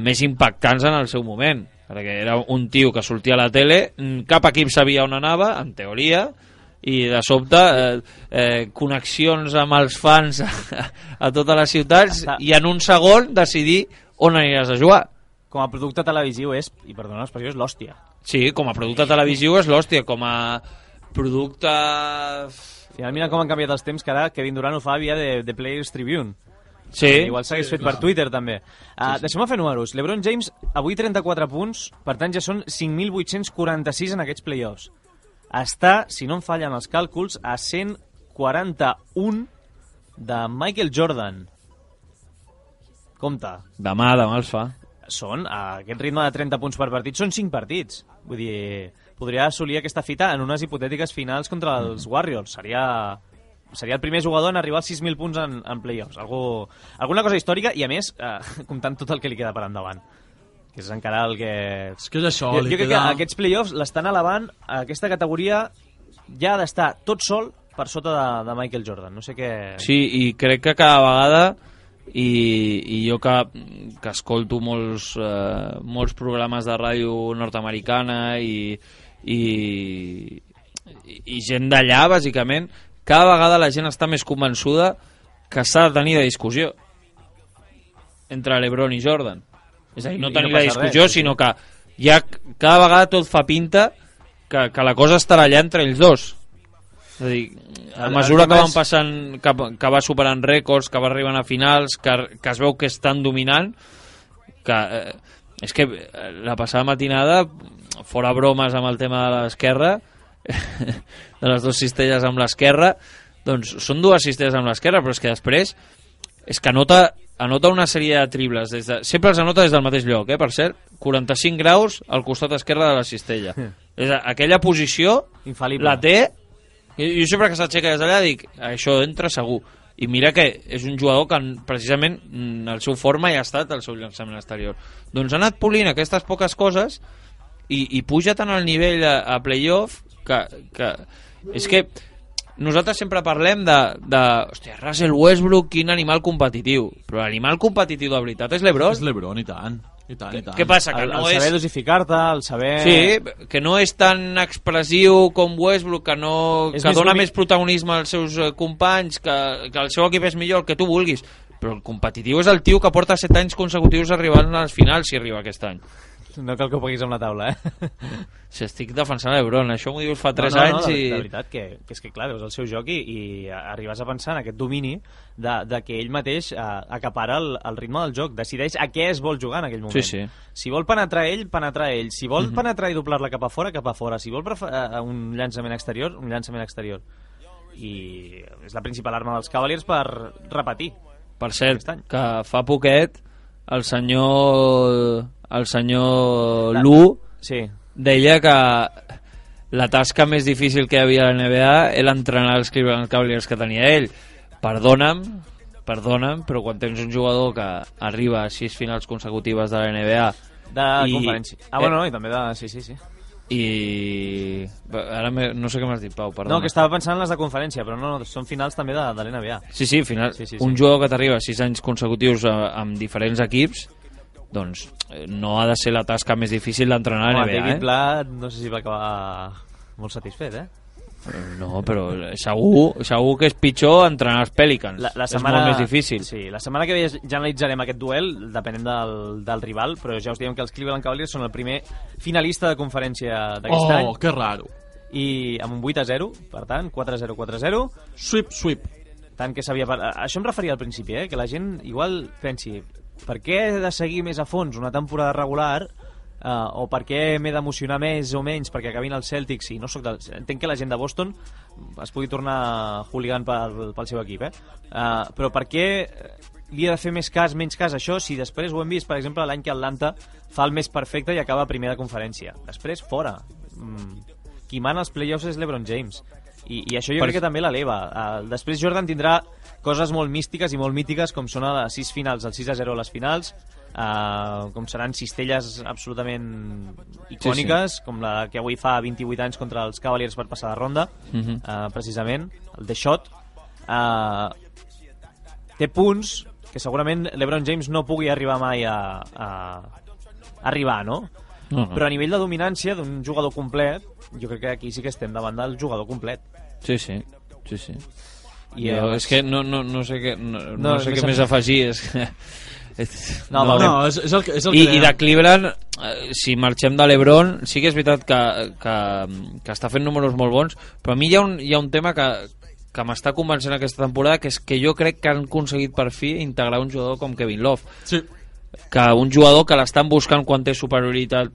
Speaker 4: més impactants en el seu moment, perquè era un tio que sortia a la tele, cap equip sabia on anava, en teoria, i de sobte connexions amb els fans a totes les ciutats, i en un segon decidir on aniràs a jugar.
Speaker 3: Com a producte televisiu és, i perdona l'expressió, és l'hòstia.
Speaker 4: Sí, com a producte televisiu és l'hòstia, com a producte...
Speaker 3: Final, mira com han canviat els temps, que ara Kevin Durant ho fa via de Players Tribune.
Speaker 4: Sí.
Speaker 3: Igual s'hagués fet per Twitter, també. Deixem-me fer números. LeBron James, avui 34 punts, per tant ja són 5.846 en aquests playoffs. Està, si no em fallen els càlculs, a 141 de Michael Jordan. Compte.
Speaker 4: Demà els fa.
Speaker 3: Són, a aquest ritme de 30 punts per partit, són 5 partits. Vull dir, podria assolir aquesta fita en unes hipotètiques finals contra els Warriors. Seria el primer jugador en arribar als 6.000 punts en playoffs. Alguna cosa històrica, i a més, comptant tot el que li queda per endavant. Que és encara el que...
Speaker 5: És que és això,
Speaker 3: jo crec que aquests playoffs l'estan elevant a aquesta categoria, ja ha d'estar tot sol per sota de Michael Jordan. No sé què...
Speaker 4: Sí, i crec que cada vegada, i jo que escolto molts programes de ràdio nord-americana i gent d'allà, bàsicament, cada vegada la gent està més convençuda que s'ha de tenir de discussió entre LeBron i Jordan. És a dir, no tenir la discussió, sinó que ja cada vegada tot fa pinta que la cosa estarà allà entre ells dos. És a dir, a mesura que van passant, que va superant rècords, que va arribant a finals, que es veu que estan dominant, que és que la passada matinada, fora bromes amb el tema de l'esquerra, de les dues cistelles amb l'esquerra, doncs són dues cistelles amb l'esquerra, però és que després és que anota una sèrie de tribles, sempre els anota des del mateix lloc, per cert, 45 graus al costat esquerre de la cistella. Aquella posició infal·lible. La té, i jo sempre que s'aixeca des d'allà dic, això entra segur. I mira que és un jugador que precisament el seu forma ja ha estat el seu llançament exterior. Doncs ha anat polint aquestes poques coses i puja tant al nivell a playoff que és que nosaltres sempre parlem hòstia, Russell Westbrook, quin animal competitiu, però l'animal competitiu de veritat és LeBron.
Speaker 5: És LeBron, i tant. I tant, i tant.
Speaker 4: Què passa? Que
Speaker 3: El
Speaker 4: no
Speaker 3: saber
Speaker 4: és...
Speaker 3: dosificar-te, el saber...
Speaker 4: Sí, que no és tan expressiu com Westbrook, que dona més protagonisme als seus companys, que el seu equip és millor, el que tu vulguis. Però el competitiu és el tio que porta 7 anys consecutius arribant a les finals, si arriba aquest any.
Speaker 3: No cal que ho paguis amb la taula,
Speaker 4: Si estic defensant l'Ebron, això m'ho dius fa 3 anys i...
Speaker 3: De veritat, que és que clar, veus el seu joc i arribes a pensar en aquest domini de que ell mateix acapara el ritme del joc, decideix a què es vol jugar en aquell moment.
Speaker 4: Sí.
Speaker 3: Si vol penetrar ell, penetrar ell. Si vol penetrar i doblar-la cap a fora. Si vol un llançament exterior, un llançament exterior. I és la principal arma dels Cavaliers per repetir.
Speaker 4: Per cert, que fa poquet el senyor Lu deia que la tasca més difícil que hi havia a la NBA era entrenar els Cleveland Cavaliers que tenia ell. Perdona'm, però quan tens un jugador que arriba a 6 finals consecutives de la NBA
Speaker 3: de conferència. I també de... Sí.
Speaker 4: I ara no sé què m'has dit, Pau, perdona.
Speaker 3: No, que estava pensant en les de conferència, però no, són finals també de l'NBA.
Speaker 4: Sí, finals. Sí. Un jugador que t'arriba 6 anys consecutius amb diferents equips, doncs no ha de ser la tasca més difícil d'entrenar a la NBA.
Speaker 3: David Blatt no sé si va acabar molt satisfet,
Speaker 4: No, però segur que és pitjor entrenar els Pelicans. És molt més difícil.
Speaker 3: Sí, la setmana que ve ja analitzarem aquest duel, depenent del rival, però ja us diem que els Cleveland Cavaliers són el primer finalista de conferència d'aquest any.
Speaker 5: Oh, que raro.
Speaker 3: I amb un 8-0, per tant, 4-0, 4-0.
Speaker 5: Sweep.
Speaker 3: Tant que s'havia... Això em referia al principi, que la gent igual pensi per què he de seguir més a fons una temporada regular o per què m'he d'emocionar més o menys perquè acabin els Celtics i no soc entenc que la gent de Boston es pugui tornar hooligan pel seu equip però per què li he de fer menys cas a això si després ho hem vist per exemple l'any que Atlanta fa el més perfecte i acaba primer de conferència després fora qui mana els playoffs és LeBron James i això jo crec que també l'eleva després Jordan tindrà coses molt místiques i molt mítiques com són a les 6 finals, el 6-0 a les finals com seran cistelles absolutament icòniques com la que avui fa 28 anys contra els Cavaliers per passar de ronda precisament, el The Shot té punts que segurament LeBron James no pugui arribar mai a arribar, no? Però a nivell de dominància d'un jugador complet jo crec que aquí sí que estem davant del jugador complet.
Speaker 4: Sí. És que no sé què més afegir és que...
Speaker 5: és el que
Speaker 4: I de Cleveland si marxem de l'Ebron sí que és veritat que està fent números molt bons, però a mi hi ha un tema que m'està convencent aquesta temporada, que és que jo crec que han aconseguit per fi integrar un jugador com Kevin Love, que un jugador que l'estan buscant quan té superioritat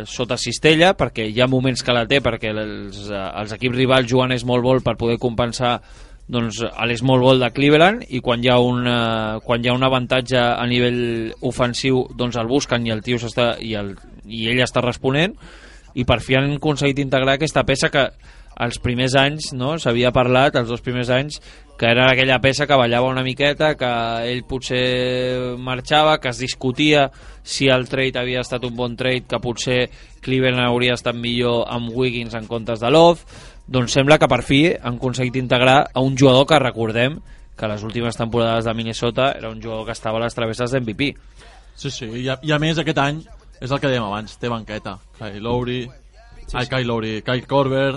Speaker 4: sota cistella, perquè hi ha moments que la té perquè els equips rivals juguen small ball per poder compensar doncs a l'small ball de Cleveland, i quan hi ha un avantatge a nivell ofensiu doncs el busquen i el tio i ell està responent, i per fi han aconseguit integrar aquesta peça que els primers anys s'havia parlat, els 2 primers anys, que era aquella peça que ballava una miqueta, que ell potser marxava, que es discutia si el trade havia estat un bon trade, que potser Cleveland hauria estat millor amb Wiggins en comptes de Love. Doncs sembla que per fi han aconseguit integrar a un jugador que recordem que les últimes temporades de Minnesota era un jugador que estava a les travesses d'MVP.
Speaker 5: Sí, i a més aquest any és el que dèiem abans, té banqueta. Kyle Lowry, Kyle Korver,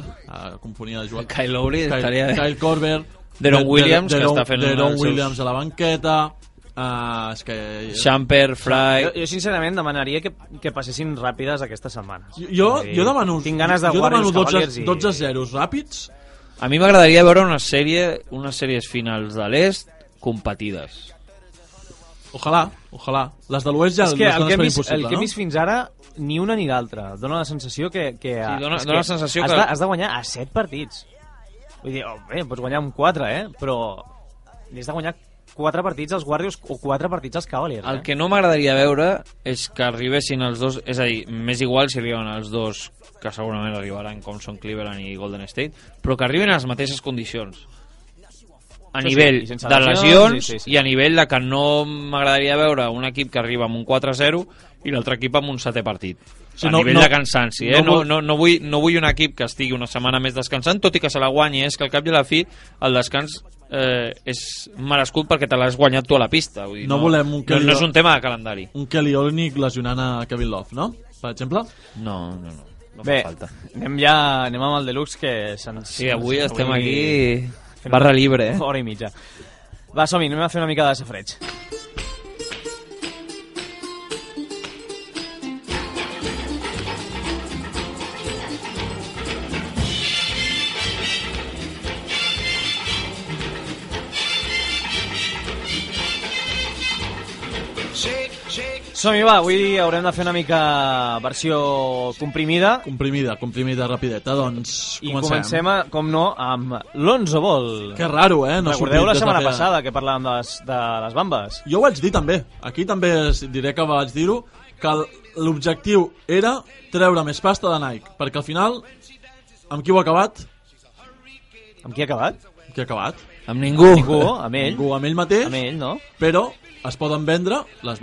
Speaker 5: confonia de jugar.
Speaker 4: Kyle Lowry estaria...
Speaker 5: Kyle Korver,
Speaker 4: Deron Williams, que està fent
Speaker 5: Deron Williams a la banqueta, és que...
Speaker 4: Shumpert, Fry...
Speaker 3: Jo sincerament demanaria que passessin ràpides aquestes setmanes.
Speaker 5: Jo demano...
Speaker 3: Tinc ganes de guardar els Cavaliers
Speaker 5: 12-0 ràpids.
Speaker 4: A mi m'agradaria veure unes sèries finals de l'Est competides.
Speaker 5: Ojalà. Les de l'Oest ja
Speaker 3: és que
Speaker 5: el que
Speaker 3: hem vist fins ara ni una ni l'altra. Dóna la sensació que
Speaker 4: dona la sensació que
Speaker 3: has de guanyar a 7 partits. Vull dir, pots guanyar amb 4, però has de guanyar 4 partits als Warriors o 4 partits als Cavaliers.
Speaker 4: El que no m'agradaria veure és que arribessin els dos, és a dir, m'és igual si arriben els dos, que segurament arribaran, com són Cleveland i Golden State, però que arriben a les mateixes condicions. a nivell
Speaker 3: i sense
Speaker 4: de lesions
Speaker 3: sí.
Speaker 4: i a nivell de que no m'agradaria veure un equip que arriba amb un 4-0 i l'altre equip amb un 7è partit.
Speaker 5: Sí,
Speaker 4: A
Speaker 5: no-
Speaker 4: nivell
Speaker 5: no-
Speaker 4: de cansanci, no vull un equip que estigui una setmana més descansant, tot i que se la guanyi, és que al cap i a la fi el descans és merescut perquè te l'has guanyat tu a la pista. Vull dir,
Speaker 5: No volem un
Speaker 4: no és un tema de calendari.
Speaker 5: Un Kelly Olynyk lesionant a Kevin Love, no? Per exemple?
Speaker 4: No fa
Speaker 3: Bé,
Speaker 4: falta.
Speaker 3: anem amb el Deluxe, que
Speaker 4: Sí, avui estem aquí barra libre,
Speaker 3: Hora i mitja. Va, som-hi, anem a fer una mica de safreig. Som-hi, va, avui haurem de fer una mica versió comprimida
Speaker 5: Comprimida, rapideta. Doncs
Speaker 3: i comencem, com no, amb l'11 Ball.
Speaker 5: Que raro, eh? No
Speaker 3: Recordeu la
Speaker 5: sortit des de
Speaker 3: setmana
Speaker 5: feia-
Speaker 3: passada que parlàvem de les bambes?
Speaker 5: Jo ho vaig dir també. Aquí també diré que vaig dir-ho, que l'objectiu era treure més pasta de Nike, perquè al final, amb qui ho ha acabat?
Speaker 3: Amb qui ha acabat?
Speaker 5: Amb qui ha acabat?
Speaker 4: Amb ningú.
Speaker 3: Ningú, amb ell.
Speaker 5: Ningú, amb ell mateix,
Speaker 3: Amb ell, no?
Speaker 5: però es poden vendre, les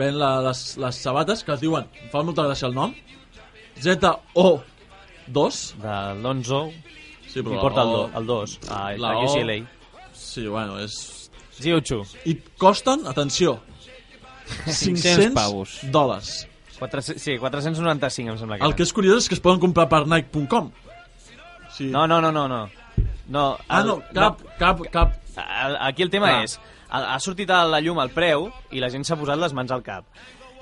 Speaker 5: sabates que es diuen, em fa molta gràcia el nom, ZO2.
Speaker 3: De l'11,
Speaker 5: Sí,
Speaker 3: qui porta el 2? A
Speaker 5: la O-
Speaker 3: UCLA.
Speaker 5: Sí, bueno, és...
Speaker 3: Ziuchu.
Speaker 5: I costen, atenció, 500
Speaker 4: pavos.
Speaker 5: dòlars.
Speaker 3: 495, em sembla que
Speaker 5: El que és curiós és que es poden comprar per Nike.com. Sí.
Speaker 3: No. No,
Speaker 5: Ah, no, cap.
Speaker 3: Aquí el tema
Speaker 5: Clar.
Speaker 3: és, ha sortit a la llum el preu i la gent s'ha posat les mans al cap.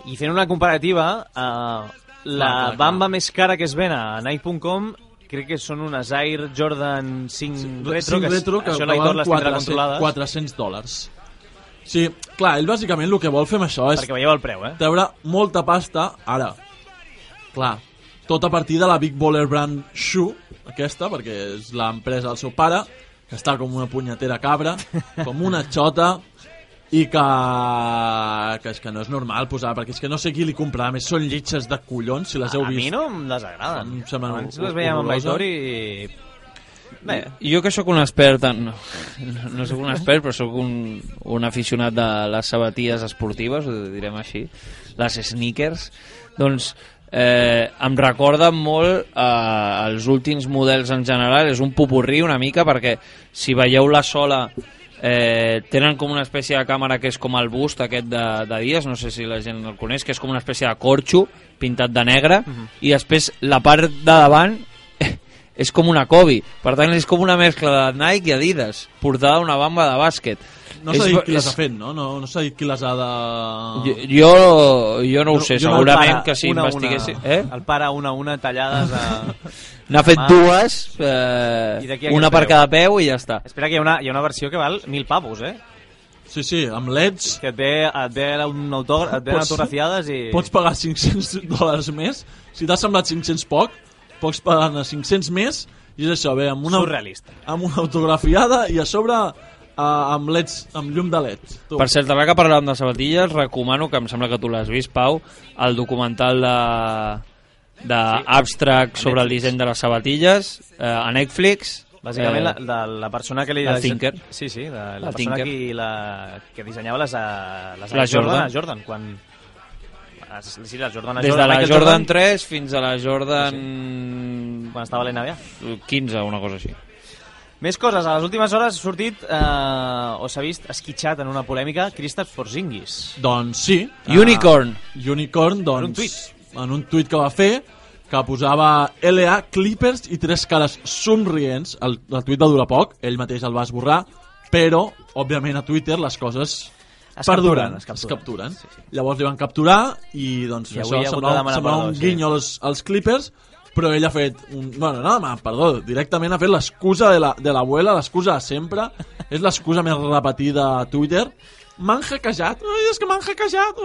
Speaker 3: I fent una comparativa, la
Speaker 5: clar.
Speaker 3: bamba més cara que es ven a Nike.com crec que són unes Air Jordan 5 Retro, que això l'Aitor les tindrà controlades.
Speaker 5: 400 dòlars. Sí, clar, ell bàsicament el que vol fer amb això és
Speaker 3: Perquè veieu el preu,
Speaker 5: treure molta pasta ara. Clar, tot a partir de la Big Baller Brand Shoe, aquesta, perquè és l'empresa del seu pare, que està com una punyetera cabra, com una xota, i que és que no és normal posar, perquè és que no sé qui li comprarà, més són llitges de collons, si les heu
Speaker 3: A
Speaker 5: vist.
Speaker 3: mi no em desagraden.
Speaker 5: Em semblen
Speaker 3: Abans les veiem amb
Speaker 5: horroroses.
Speaker 3: Aitor i... Bé,
Speaker 4: Jo que sóc un expert, no sóc un expert, però sóc un aficionat de les sabatilles esportives, ho direm així, les sneakers, doncs em recorden molt els últims models en general, és un popurrí una mica, perquè si veieu la sola tenen com una espècie de càmera que és com el bust aquest de Díaz, no sé si la gent el coneix, que és com una espècie de corxo pintat de negre, i després la part de davant és com una Kobe, per tant és com una mescla de Nike i Adidas portada a una bamba de bàsquet.
Speaker 5: No s'ha dit qui les ha fet, no? No s'ha dit qui les ha de...
Speaker 4: Jo no ho sé,
Speaker 5: jo no-
Speaker 4: segurament que si investiguessin...
Speaker 3: El pare una tallades a...
Speaker 4: N'ha fet dues,
Speaker 3: I d'aquí a
Speaker 4: una
Speaker 3: aquest
Speaker 4: per
Speaker 3: preu.
Speaker 4: cada peu i ja està.
Speaker 3: Espera, que hi ha una versió que val 1.000 pavos,
Speaker 5: Sí, amb LEDs
Speaker 3: que et ve un autògraf, et venen
Speaker 5: Pots-
Speaker 3: autografiades i...
Speaker 5: pots pagar 500 dòlars més. Si t'ha semblat 500 poc, pots pagar 500 més, i és això, bé, amb una
Speaker 3: Surrealista.
Speaker 5: autografiada i a sobre amb LEDs, amb llum de LED. Tu.
Speaker 4: Per cert, ara que parlàvem de sabatilles, recomano, que em sembla que tu l'has vist, Pau, el documental de Abstract sobre el disseny de les sabatilles a Netflix.
Speaker 3: Bàsicament, la persona que li...
Speaker 4: el Thinker.
Speaker 3: Sí, de la
Speaker 4: El
Speaker 3: persona
Speaker 4: Tinker.
Speaker 3: que dissenyava les
Speaker 4: Jordan.
Speaker 3: Jordan, quan... Sí, les Jordan a
Speaker 4: Des de
Speaker 3: Jordan,
Speaker 4: la
Speaker 3: Michael
Speaker 4: Jordan 3 fins a la Jordan
Speaker 3: quan estava a l'NBA.
Speaker 4: 15, una cosa així.
Speaker 3: Més coses, a les últimes hores ha sortit, o s'ha vist esquitxat en una polèmica, Kristaps Porzingis.
Speaker 5: Doncs sí.
Speaker 4: Unicorn.
Speaker 5: Unicorn, doncs...
Speaker 3: En un tuit.
Speaker 5: En un tuit que va fer, que posava LA Clippers i 3 cares somrients. El tuit va durar poc, ell mateix el va esborrar, però, òbviament, a Twitter les coses perduren, es capturen.
Speaker 3: Sí.
Speaker 5: Llavors li van capturar i doncs
Speaker 3: I
Speaker 5: això
Speaker 3: avui ha hagut de
Speaker 5: semblava
Speaker 3: demanar
Speaker 5: un
Speaker 3: perdó, sí.
Speaker 5: guinyo als Clippers, però ell ha fet directament ha fet l'excusa de l'abuela, l'excusa de sempre, és l'excusa més repetida a Twitter. M'han hackejat, és que m'han hackejat,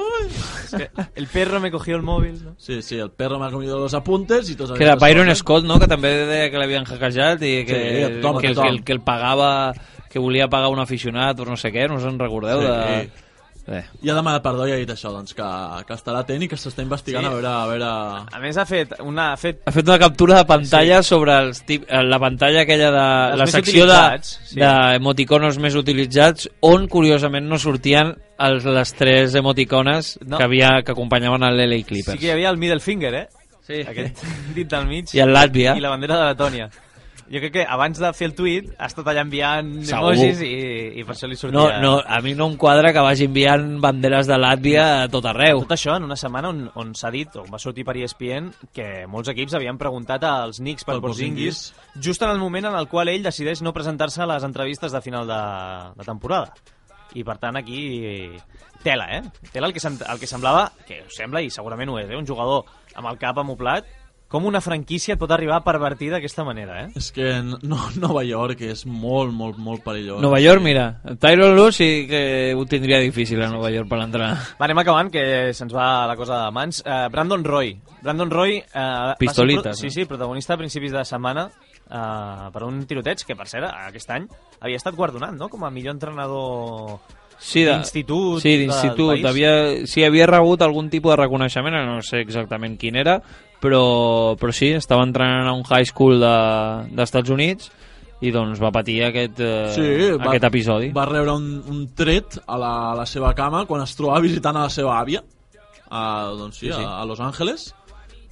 Speaker 3: El perro me cogió el móvil, no?
Speaker 5: Sí, el perro m'ha comido los apuntes i tots
Speaker 4: Que era
Speaker 5: aquestes
Speaker 4: Byron
Speaker 5: coses.
Speaker 4: Scott, no?, que també deia que l'havien hackejat i que,
Speaker 5: Sí, tothom.
Speaker 4: que el pagava, que volia pagar un aficionat o no sé què, no us en recordeu?
Speaker 5: Sí. I ha demanat perdó i ha dit això, doncs, que estarà atent i que s'està investigant a veure...
Speaker 3: A més ha fet una
Speaker 4: captura de pantalla sobre la pantalla aquella de la secció d'emoticonos més utilitzats, on curiosament no sortien les 3 emoticones que acompanyaven el LA Clippers.
Speaker 3: Sí que hi havia el middle finger,
Speaker 4: Sí.
Speaker 3: Aquest dit del mig.
Speaker 4: I el Làtvia.
Speaker 3: I la bandera de Letònia. Jo crec que abans de fer el tuit ha estat allà enviant emojis i per això li sortia...
Speaker 4: No, a mi no em quadra que vagi enviant banderes de Làtvia a tot arreu.
Speaker 3: Tot això en una setmana on s'ha dit, on va sortir per ESPN, que molts equips havien preguntat als Knicks per Porzingis just en el moment en el qual ell decideix no presentar-se a les entrevistes de final de temporada. I per tant aquí tela, Tela el que semblava, que ho sembla i segurament ho és, un jugador amb el cap amoplat. Com una franquícia et pot arribar a pervertir d'aquesta manera,
Speaker 5: És que Nova York és molt, molt, molt perillós.
Speaker 4: Nova York, mira, Tyronn Lue sí que ho tindria difícil a Nova York per entrar.
Speaker 3: Va, anem acabant, que se'ns va la cosa de mans. Brandon Roy.
Speaker 4: Pistolites.
Speaker 3: Sí, protagonista a principis de setmana per un tiroteig que, per cert, aquest any havia estat guardonat, no?, com a millor entrenador... d'institut.
Speaker 4: Sí, d'institut. Havia rebut algun tipus de reconeixement, no sé exactament quin era, però sí, estava entrenant a un high school dels Estats Units i doncs va patir aquest episodi.
Speaker 5: Va rebre un tret a la seva cama quan es trobava visitant a la seva àvia a Los Angeles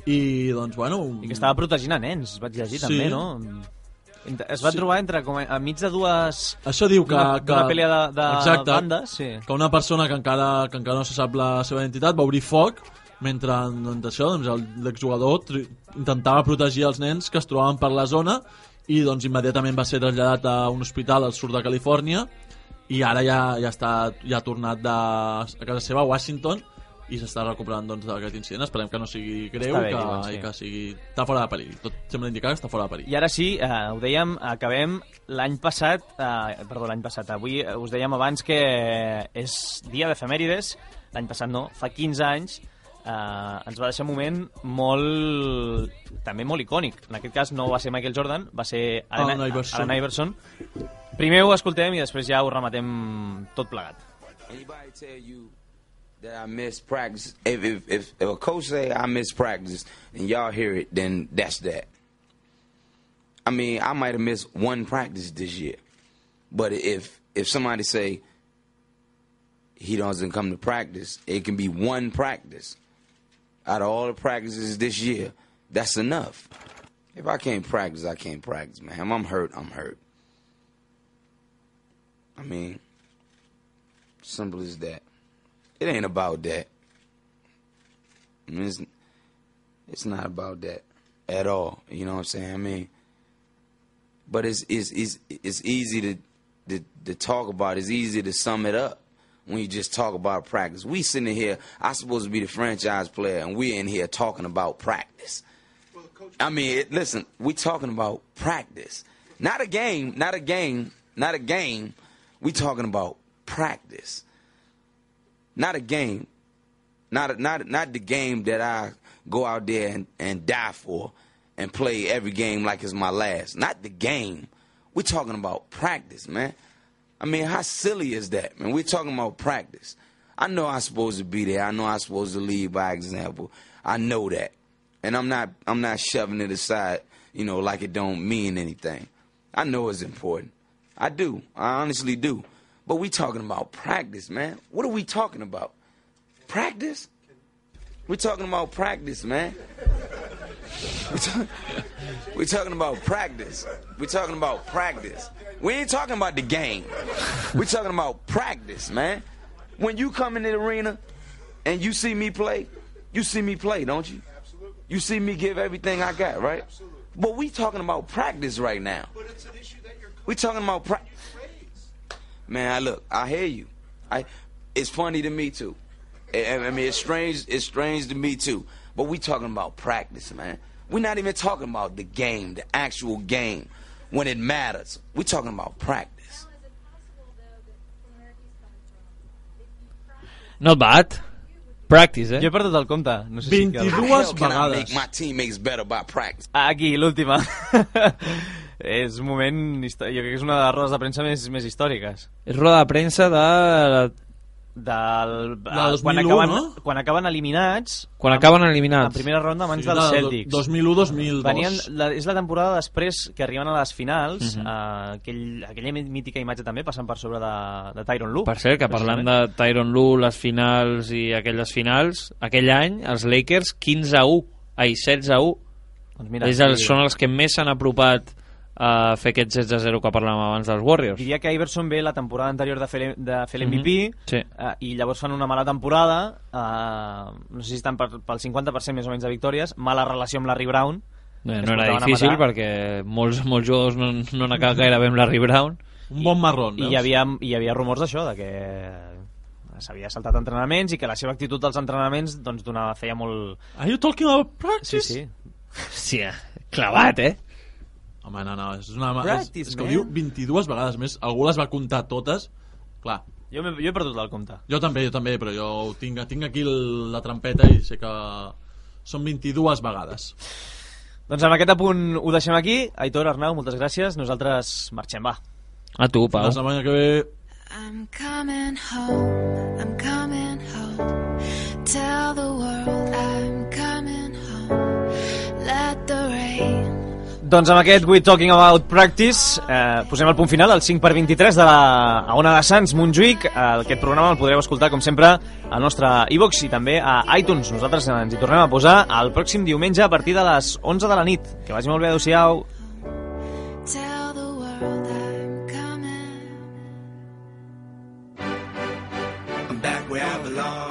Speaker 5: i doncs bueno...
Speaker 3: I que estava protegint a nens, vaig llegir també, no? Es va trobar enmig de dues...
Speaker 5: Això diu que...
Speaker 3: Una pelea de bandes,
Speaker 5: que una persona que encara no se sap la seva identitat va obrir foc mentre l'exjugador intentava protegir els nens que es trobaven per la zona i doncs immediatament va ser traslladat a un hospital al sud de Califòrnia i ara ja ha tornat a casa seva a Washington i s'està recuperant d'aquest incident. Esperem que no sigui greu i que està fora de perill. Tot sembla indicar que està fora de perill.
Speaker 3: I ara sí, ho dèiem, acabem l'any passat, avui us dèiem abans que és dia d'efemèrides, l'any passat no, fa 15 anys, ens va deixar un moment també molt icònic. En aquest cas no va ser Michael Jordan, va ser Allen Iverson. Primer ho escoltem i després ja ho rematem tot plegat.
Speaker 6: Anybody tell you that I miss practice? If a coach say I miss practice and y'all hear it, then that's that. I mean, I might have missed one practice this year, but if somebody say he doesn't come to practice, it can be one practice out of all the practices this year. That's enough. If I can't practice, I can't practice, man. If I'm hurt, I'm hurt. I mean, simple as that. It ain't about that. I mean, it's not about that at all. You know what I'm saying? I mean, but it's easy to talk about. It's easy to sum it up when you just talk about practice. We sitting here, I'm supposed to be the franchise player, and we're in here talking about practice. I mean, listen, we talking about practice. Not a game. We talking about practice. Not a game. Not the game that I go out there and die for and play every game like it's my last. Not the game. We're talking about practice, man. I mean, how silly is that, man? We're talking about practice. I know I'm supposed to be there. I know I'm supposed to lead by example. I know that. And I'm not shoving it aside, like it don't mean anything. I know it's important. I do. I honestly do. But we talking about practice, man. What are we talking about? Practice? We're talking about practice, man. We're talking about practice. We're talking about practice. We ain't talking about the game. We're talking about practice, man. When you come in the arena and you see me play, don't you?
Speaker 2: Absolutely.
Speaker 6: You see me give everything I got, right?
Speaker 2: Absolutely.
Speaker 6: But we talking about practice right now.
Speaker 2: But it's an issue that you're...
Speaker 6: We talking about practice. Man, look, I hear you. It's funny to me too. I mean, it's strange to me too. But we talking about practice, man. We're not even talking about the game, the actual game, when it matters. We're talking about practice.
Speaker 4: Not bad. Practice,
Speaker 3: Jo he perdut el compte. No sé
Speaker 5: 22
Speaker 6: Can I
Speaker 5: vegades.
Speaker 6: make my teammates better by practice?
Speaker 3: Aquí, l'última. És un moment... Jo crec que és una de les rodes de premsa més històriques.
Speaker 4: És roda de premsa
Speaker 3: quan acaben eliminats
Speaker 4: Quan acaben eliminats.
Speaker 3: en primera ronda abans dels Celtics
Speaker 5: 2001-2002.
Speaker 3: és la temporada després que arriben a les finals, aquella mítica imatge també passant per sobre de Tyronn Lue.
Speaker 4: Per cert, que parlant de Tyronn Lue, les finals i aquelles finals, aquell any els Lakers 16-1.
Speaker 3: Doncs mira,
Speaker 4: són els que més s'han apropat a fer aquest 16-0 que parlàvem abans dels Warriors.
Speaker 3: Diria que Iverson ve la temporada anterior de fer l'MVP,
Speaker 4: sí.
Speaker 3: I llavors fan una mala temporada, no sé si estan pel 50% més o menys de victòries, mala relació amb Larry Brown.
Speaker 4: No era difícil perquè molts jugadors no han acabat gaire bé amb Larry Brown.
Speaker 5: Un bon marrón,
Speaker 3: veus? I hi havia rumors d'això, de que s'havia saltat entrenaments i que la seva actitud dels entrenaments doncs feia molt...
Speaker 5: Are you talking about practice?
Speaker 3: Sí.
Speaker 4: Hòstia, clavat,
Speaker 5: Home, no, és que ho diu 22 vegades més. Algú les va comptar totes. Clar.
Speaker 3: Jo he perdut el compte.
Speaker 5: Jo també, però jo tinc aquí la trampeta i sé que són 22 vegades.
Speaker 3: Doncs amb aquest apunt ho deixem aquí. Aitor, Arnau, moltes gràcies. Nosaltres marxem, va.
Speaker 4: A tu, Pau.
Speaker 5: La setmana que ve...
Speaker 7: I'm coming home, tell the world I'm coming home, let the rain.
Speaker 3: Doncs amb aquest We Talking About Practice posem el punt final al 5x23 de la Ona de Sants Montjuïc. Aquest programa el podreu escoltar com sempre al nostre iVox i també a iTunes. Nosaltres ens hi tornem a posar el pròxim diumenge a partir de les 11 de la nit. Que vagi molt bé, adeu-siau.
Speaker 7: Tell the world I'm coming.
Speaker 6: I'm back where I belong.